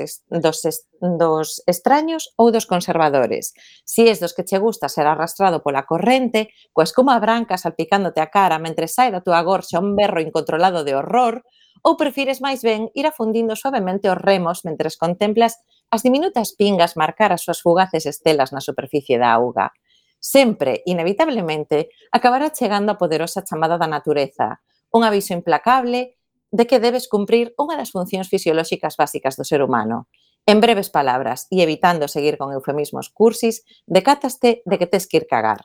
G: extraños ou dos conservadores, si és dos que che gusta ser arrastrado pola corrente, coa espuma branca salpicándote a cara mentre sai da túa gorxa un berro incontrolado de horror, ou prefires máis ben ir afundindo suavemente os remos mentres contemplas as diminutas pingas marcar as súas fugaces estelas na superficie da auga. Sempre, inevitablemente, acabará chegando a poderosa chamada da natureza, un aviso implacable de que debes cumprir unha das funcións fisiolóxicas básicas do ser humano. En breves palabras, e evitando seguir con eufemismos cursis, decátaste de que tes que ir cagar.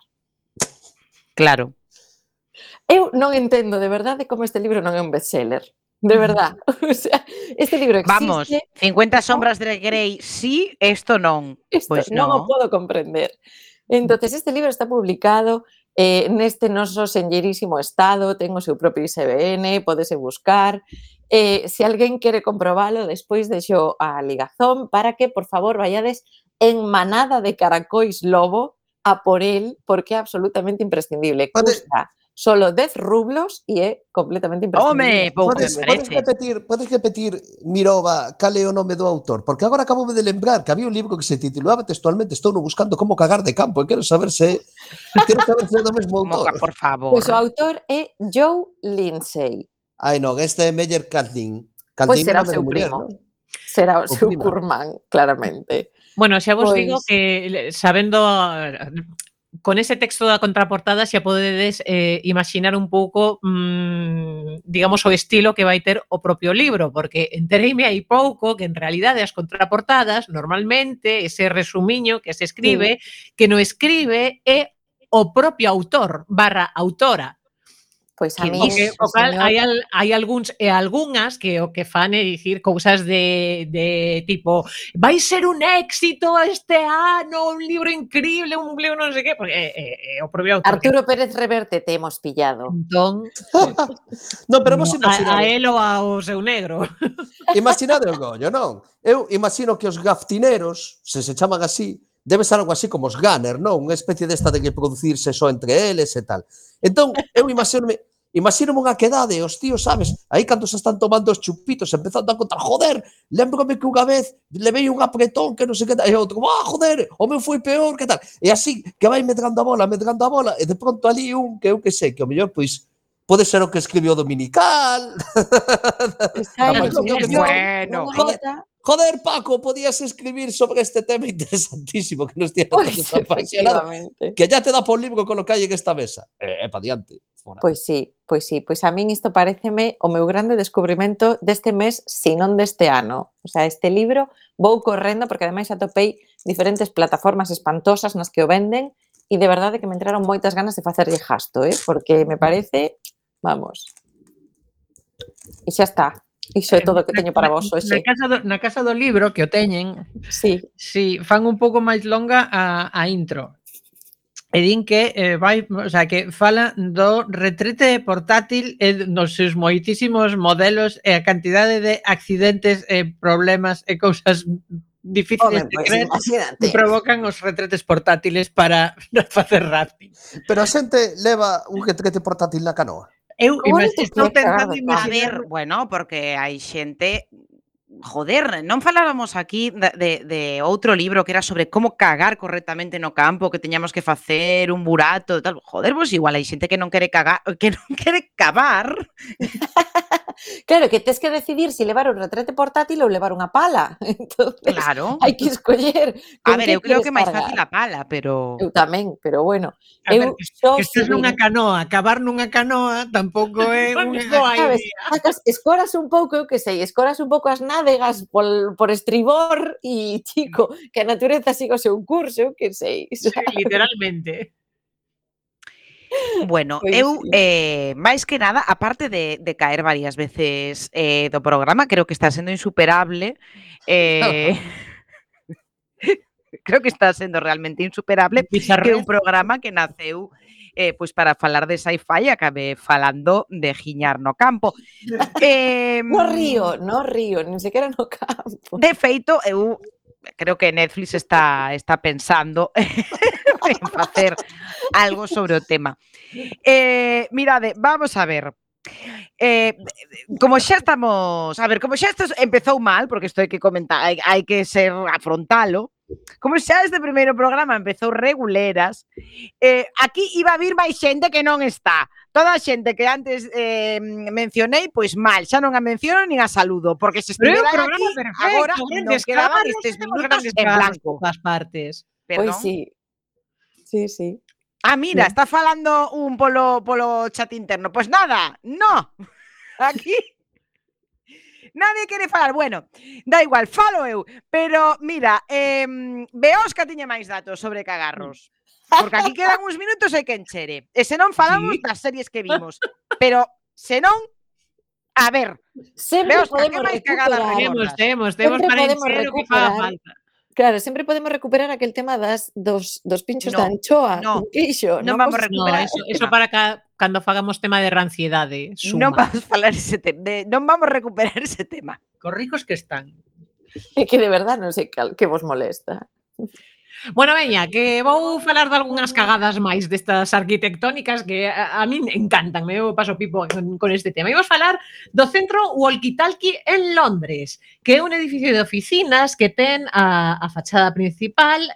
D: Claro.
G: Eu non entendo de verdade como este libro non é un bestseller. De verdad. O sea, este libro existe.
D: Vamos, 50 sombras de Grey sí, esto non.
G: Isto
D: Pois
G: non o
D: non.
G: podo comprender. Entonces, este libro está publicado neste noso senlleirísimo estado, ten o seu propio ISBN, podese buscar. Se alguén quere comprobalo, despois deixo a ligazón para que, por favor, vayades en manada de caracois lobo a por él, porque é absolutamente imprescindible. Custa solo 10 rublos e é completamente imprescindible.
D: Home, pouco
F: Podes repetir, Mirova, cal é o nome do autor? Porque agora acabo de lembrar que había un libro que se titulaba textualmente Estou buscando como cagar de campo e quero saber se é do mesmo autor.
D: Por favor.
G: Pois o autor é Joe Lindsay.
F: Ai non, este é Meyer Caldin.
G: Pois será o seu primo. Será o seu curmán, claramente.
J: Bueno, xa vos
G: Pois-
J: digo que sabendo con ese texto da contraportada xa podedes imaginar un pouco digamos o estilo que vai ter o propio libro, porque entereime aí pouco que en realidade as contraportadas normalmente ese resumiño que se escribe, que no escribe é o propio autor / autora.
G: Pois a
D: Que
G: mí,
D: dis?
J: O cal,
G: señor,
J: hai algúns e algunhas que o que fan é dicir cousas de tipo vai ser un éxito este ano, un libro increíble, un libro non sei que, porque o propio autor que
G: Arturo Pérez Reverte te hemos pillado.
J: entón,
F: Non, pero vos
J: a
F: imaginades,
J: él ou ao seu negro.
F: imaginade o gollo, non? Eu imagino que os gaftineros, se chaman así, debe ser algo así como os gunner, non? Unha especie desta de que producirse só entre eles e tal. Entón, eu imagínome unha quedade, os tíos, sabes, aí cando se están tomando os chupitos, empezando a contar, joder, lembrome que unha vez levei un apretón que non sei que tal, e outro, joder, o meu foi peor, que tal, e así, que vai medrando a bola, e de pronto ali un, que eu que sei, que o mellor, pois, pode ser o que escribiu o Dominical.
D: Bueno.
F: Joder, Paco, podías escribir sobre este tema interesantísimo que nos tiene todos apasionados,
G: Efectivamente.
F: que ya te dá por libro con lo que hai en esta mesa. Pa diante. Fora.
G: Pois sí. Pois a min isto pareceme o meu grande descubrimento deste mes, se non deste ano. O sea, este libro vou correndo porque ademais atopei diferentes plataformas espantosas nas que o venden e de verdade que me entraron moitas ganas de facerlle gasto, porque me parece, vamos. E xa está. Iso é todo o que teño para vos hoxe.
H: Na casa do libro que o teñen,
G: Sí.
H: si fan un pouco máis longa a intro. E din que que fala do retrete portátil e nos seus moitísimos modelos e a cantidade de accidentes e problemas e cousas difíciles de creer que provocan os retretes portátiles para facer rafting.
F: Pero a xente leva un retrete portátil na canoa.
H: Eu estou tentando
D: A
H: imaginar.
D: ver, bueno, porque hai xente... Joder, non falábamos aquí de outro libro que era sobre como cagar correctamente no campo, que teñamos que facer un burato e tal. Joder, pois igual hai xente que non quere cagar, que non quere cavar.
G: Claro, que tes que decidir se levar un retrete portátil ou levar unha pala. Entonces,
D: Claro.
G: hai que escoller.
D: A ver, eu creo que máis fácil a pala, pero...
G: Eu tamén, pero bueno.
H: A ver, que estés nunha canoa, cavar nunha canoa tampouco é unha...
G: Sabes, escoras un pouco, eu que sei, escoras un pouco as nádegas por estribor e, chico, que a natureza siga o seu curso, eu que sei.
H: Sí, literalmente.
D: Bueno, eu, máis que nada, aparte de caer varias veces do programa, creo que está sendo insuperable. Creo que está sendo realmente insuperable que un programa que naceu pois para falar de sci-fi acabe falando de giñar no campo.
G: No río, nin sequera no campo.
D: De feito, eu creo que Netflix está pensando en facer algo sobre o tema. Mirade, vamos a ver. Como xa estamos... A ver, como xa isto empezou mal, porque isto hai que comentar, hai que ser afrontalo. Como xa este primeiro programa empezou reguleras, aquí iba a vir máis xente que non está. Toda a xente que antes mencionei, pois mal, xa non a menciono nin a saludo, porque se estivera aquí, agora non quedaban estes minutos en blanco.
H: Das partes.
D: Perdón.
G: Pois sí. Sí.
D: Ah, mira, está falando un polo chat interno. Pois nada, no. Aquí nadie quere falar. Bueno, da igual, falo eu. Pero, mira, Beosca tiña máis datos sobre cagarros. Porque aquí quedan uns minutos e que enchere. E se non falamos das series que vimos. Pero, se non, a ver,
G: Sempre
D: Beosca, que
G: podemos
D: máis cagadas
G: recuperar.
D: recordas?
H: Temos para
G: podemos
H: encher o que faga
G: recuperar.
H: falta.
G: Claro, sempre podemos recuperar aquel tema dos pinchos de anchoa con queixo.
D: Non vamos a recuperar.
H: Eso para cando fagamos tema de ranciedade.
D: Non vamos falar ese tema, non vamos recuperar ese tema.
H: Cos ricos que están.
G: É que de verdad non sei que vos molesta.
J: Bueno, veña, que vou falar de algunhas cagadas máis destas arquitectónicas que a min encantan, eu paso pipo con este tema. Imos falar do centro Walkie-Talkie en Londres, que é un edificio de oficinas que ten a fachada principal,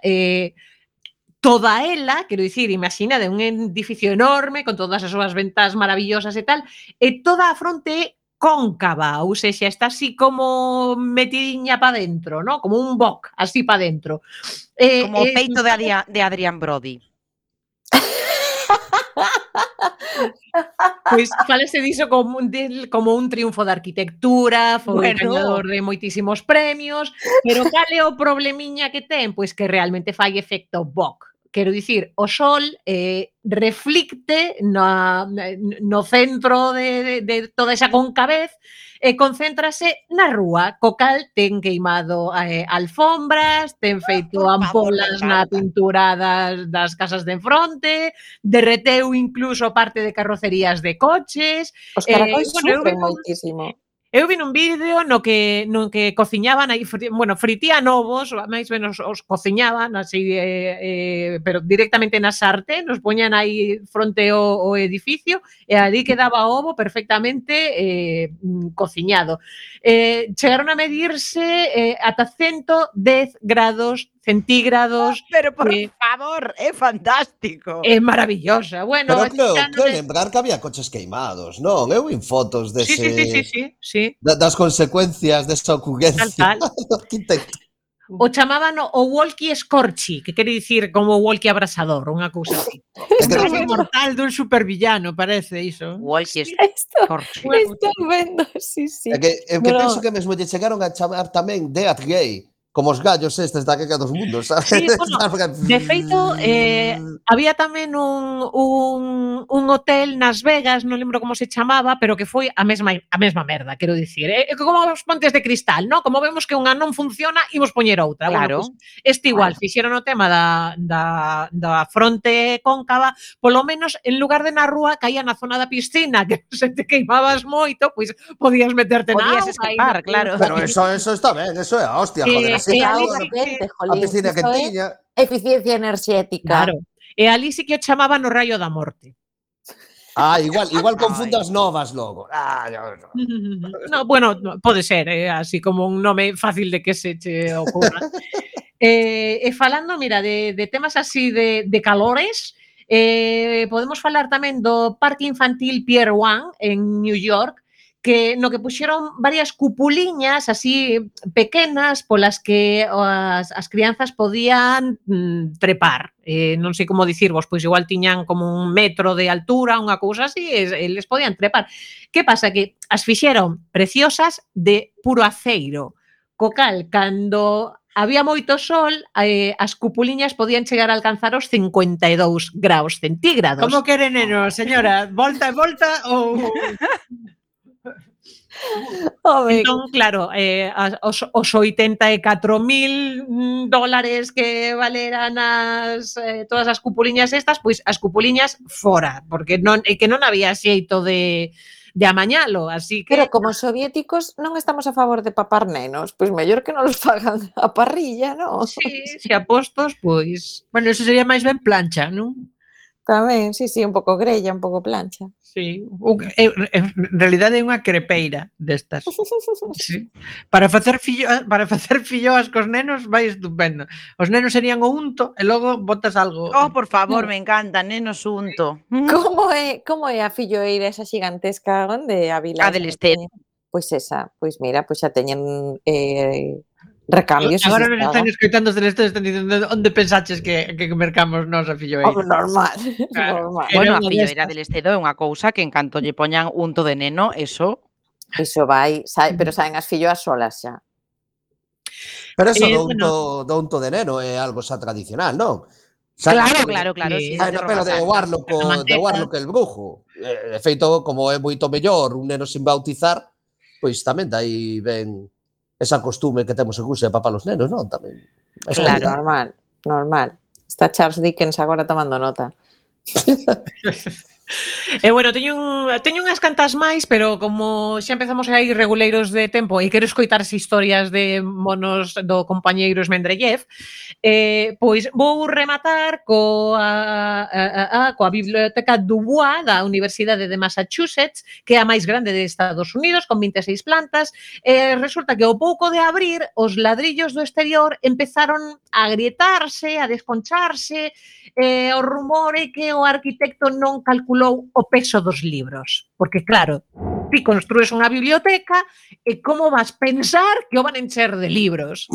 J: toda ela, quero dicir, imagina, de un edificio enorme, con todas as súas ventas maravillosas e tal, e toda a fronte é cóncava, ou seja, está así como metidiña pa dentro, ¿no? Como un boc, así pa dentro.
D: Como o peito de Adrián Brody.
J: Pois falese diso como un triunfo da arquitectura, foi gañador de moitísimos premios, pero cal é o problemiña que ten? Pois que realmente fai efecto boc. quero dicir, o sol reflicte no centro de toda esa concavez e concéntrase na rúa, co cal ten queimado alfombras, ten feito ampolas na pintura das casas de enfronte, derreteu incluso parte de carrocerías de coches.
G: Os caracóis sufren moitísimo.
J: Eu vi un vídeo no que cociñaban aí, fritían ovos, máis menos os cociñaban así, pero directamente na sartén, nos poñan aí fronte ao edificio e ali quedaba o ovo perfectamente cociñado. Chegaron a medirse ata 110 grados centígrados.
I: Pero por favor, é fantástico.
J: É maravillosa. Bueno,
F: pero creo lembrar que había coches queimados, non? Eu vi fotos dese...
J: Sí.
F: Das consecuencias desa ocurrencia.
J: O chamaban o walkie scorchy, que quere dicir como walkie abrasador, unha cousa así.
H: Un caso mortal dun supervillano, parece iso.
D: Walkie scorchy.
G: Estou vendo, sí.
F: É que penso que mesmo lle chegaron a chamar tamén Death Gay, como os gallos estes da Guerra dos Mundos, sabes?
J: Sí, bueno, de feito, había tamén un hotel nas Vegas, non lembro como se chamaba, pero que foi a mesma merda, quero dicir. Como os pontes de cristal, ¿no? Como vemos que unha non funciona, imos poñer outra.
D: Claro.
J: Bueno, pues, este igual, fixeron o tema da fronte cóncava, polo menos, en lugar de na rúa, caía na zona da piscina, que se te queimabas moito, pois podías meterte na auga.
D: Podías escapar, claro.
F: Pero eso está ben, eso é a hostia, joder. A piscina que tiña.
G: Eficiencia enerxética.
J: Claro. E ali sí que o chamaban o raio da morte.
F: Igual confundas novas logo.
J: No, bueno, pode ser, así como un nome fácil de que se che ocurra. E falando, mira, de temas así de calores, podemos falar tamén do Parque Infantil Pier 1 en New York, no que puxeron varias cupuliñas así pequenas polas que as crianzas podían trepar. Non sei como dicirvos, pois igual tiñan como 1 metro de altura, unha cousa así, e les podían trepar. Que pasa? Que as fixeron preciosas de puro aceiro, co cal, cando había moito sol, as cupuliñas podían chegar a alcanzar os 52 graus centígrados.
H: Como quere, neno, señora? Volta e volta ou...
J: Entón, claro, os 84.000 dólares que valeran todas as cupuliñas estas, pois as cupuliñas fora, porque non había xeito de amañalo, así que...
G: Pero como soviéticos non estamos a favor de papar nenos, pois mellor que non los fagan a parrilla, non?
J: Sí, se apostos, pois...
H: Bueno, eso sería máis ben plancha, non?
G: Tamén, sí, un pouco grella, un pouco plancha.
H: Sí, en realidade é unha crepeira destas. Sí. Para facer filloas cos nenos vai estupendo. Os nenos serían o unto e logo botas algo.
D: Oh, por favor, me encanta, nenos unto.
G: Como é a filloeira esa xigantesca onde a vila?
D: A del Estero.
G: Pois esa, pois mira, pois xa teñen recambios.
H: Agora nos están escoitando os Celestes, están diciendo onde pensaches que mercamos nós a filloeira.
G: Normal.
D: Bueno, a filloeira del Estedo é unha cousa que en canto lle poñan unto de neno, eso
G: vai, pero saen as filloas solas xa.
F: Pero eso do unto de neno é algo xa tradicional, non?
D: Claro. Sí,
F: pero de Warlock el brujo. De feito, como é moito mellor un neno sin bautizar, pois tamén dai ben esa costume que temos en Rusia de papar os nenos, non? Tamén.
G: Claro, normal. Está Charles Dickens agora tomando nota.
J: Bueno, teño unhas cantas máis, pero como xa empezamos a ir reguleiros de tempo e quero escoitar as historias de monos do compañeiro Esmendrellev, pois vou rematar coa Biblioteca Dubois da Universidade de Massachusetts, que é a máis grande de Estados Unidos, con 26 plantas. Resulta que ao pouco de abrir, os ladrillos do exterior empezaron a agrietarse, a desconcharse, o rumor é que o arquitecto non calculou o peso dos libros. Porque, claro, ti construes unha biblioteca e como vas pensar que o van encher de libros?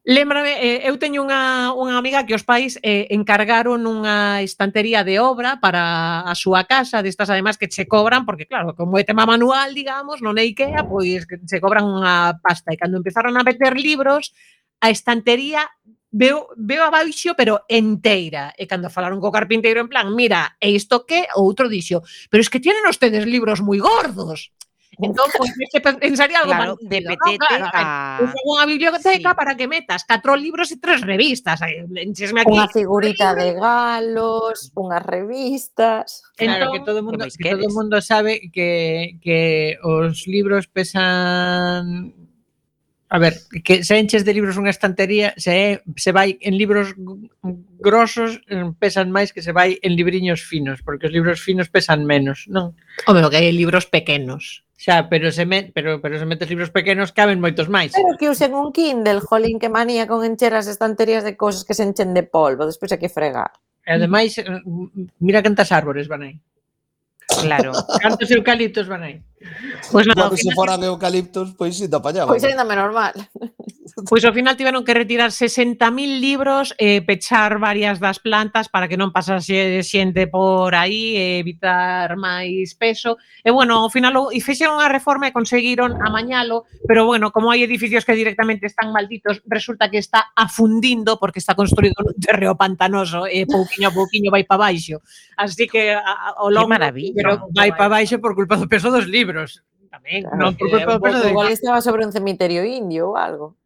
J: Lémbrame, eu teño unha amiga que os pais encargaron unha estantería de obra para a súa casa, destas ademais que che cobran, porque claro, como é tema manual, digamos, non é IKEA, pois che cobran unha pasta. E cando empezaron a meter libros, a estantería veo abaixo, pero enteira. E cando falaron co carpinteiro en plan, mira, e isto que? O outro dixo, pero es que tienen ustedes libros moi gordos. Entón, pues, se pensaría algo
D: Claro,
J: parecido,
D: de
J: ¿no?
D: petete
J: Claro,
D: a...
J: unha biblioteca
D: Sí.
J: para que metas 4 libros e 3 revistas. Enchesme aquí.
G: Unha figurita de galos, unhas revistas.
H: Claro,
J: Entón,
H: que todo o mundo,
D: máis
H: que todo o
D: queres?
H: mundo sabe que os libros pesan. A ver, que se enches de libros unha estantería, se vai en libros grosos, pesan máis que se vai en libriños finos, porque os libros finos pesan menos, non?
J: home, o que hai libros pequenos.
H: Xa, pero se metes libros pequenos caben moitos máis.
G: Pero que usen un Kindle, jolín, que manía con encher as estanterías de cousas que se enchen de polvo, despois hai que fregar.
H: E ademais, mira cantas árbores van aí.
D: Claro.
H: Cantos eucaliptos van aí.
J: Pois nada,
F: Cando se foran eucaliptos, pois si te apañaban.
G: Pois ainda menos mal.
J: Pois ao final tiveron que retirar 60.000 libros e pechar varias das plantas para que non pasase xente por aí e evitar máis peso. E bueno, ao final fixeron a reforma e conseguiron amañalo, pero bueno, como hai edificios que directamente están malditos, resulta que está afundindo porque está construído nun terreo pantanoso e pouquiño a pouquiño vai para baixo. Así que ao longo
D: maravilla.
H: Pero vai para baixo por culpa do peso dos libros. Tamén,
G: Claro,
H: non por culpa do peso dos
G: igual estaba sobre un cemiterio indio ou algo.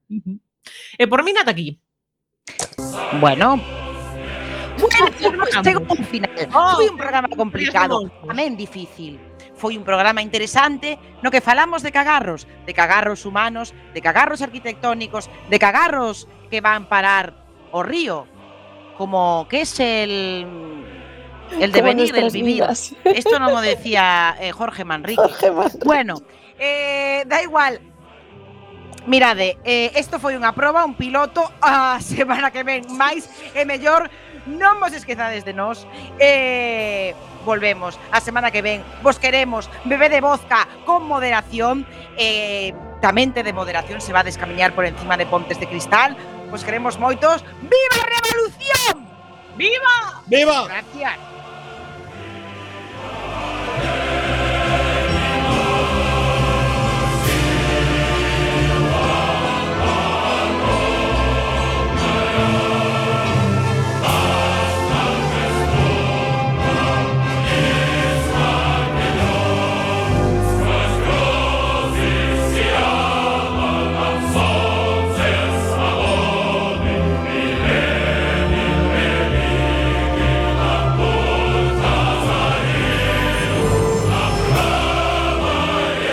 J: E por mí nada aquí.
D: Bueno, chegou un final. Foi un programa complicado, tamén difícil. Foi un programa interesante no que falamos de cagarros humanos, de cagarros arquitectónicos, de cagarros que van parar ao río, como que es el devenir, el vivir.
G: Vidas.
D: Esto no lo decía Jorge Manrique. Bueno, da igual. Mirade, isto foi unha proba, un piloto. A semana que ven máis e mellor. Non vos esquezades de nós. Volvemos a semana que ven. Vos queremos. Bebede vodka con moderación. Tamén de moderación se va a descamiñar por encima de pontes de cristal. Vos queremos moitos. ¡Viva a revolución!
J: ¡Viva!
F: ¡Viva!
D: Gracias.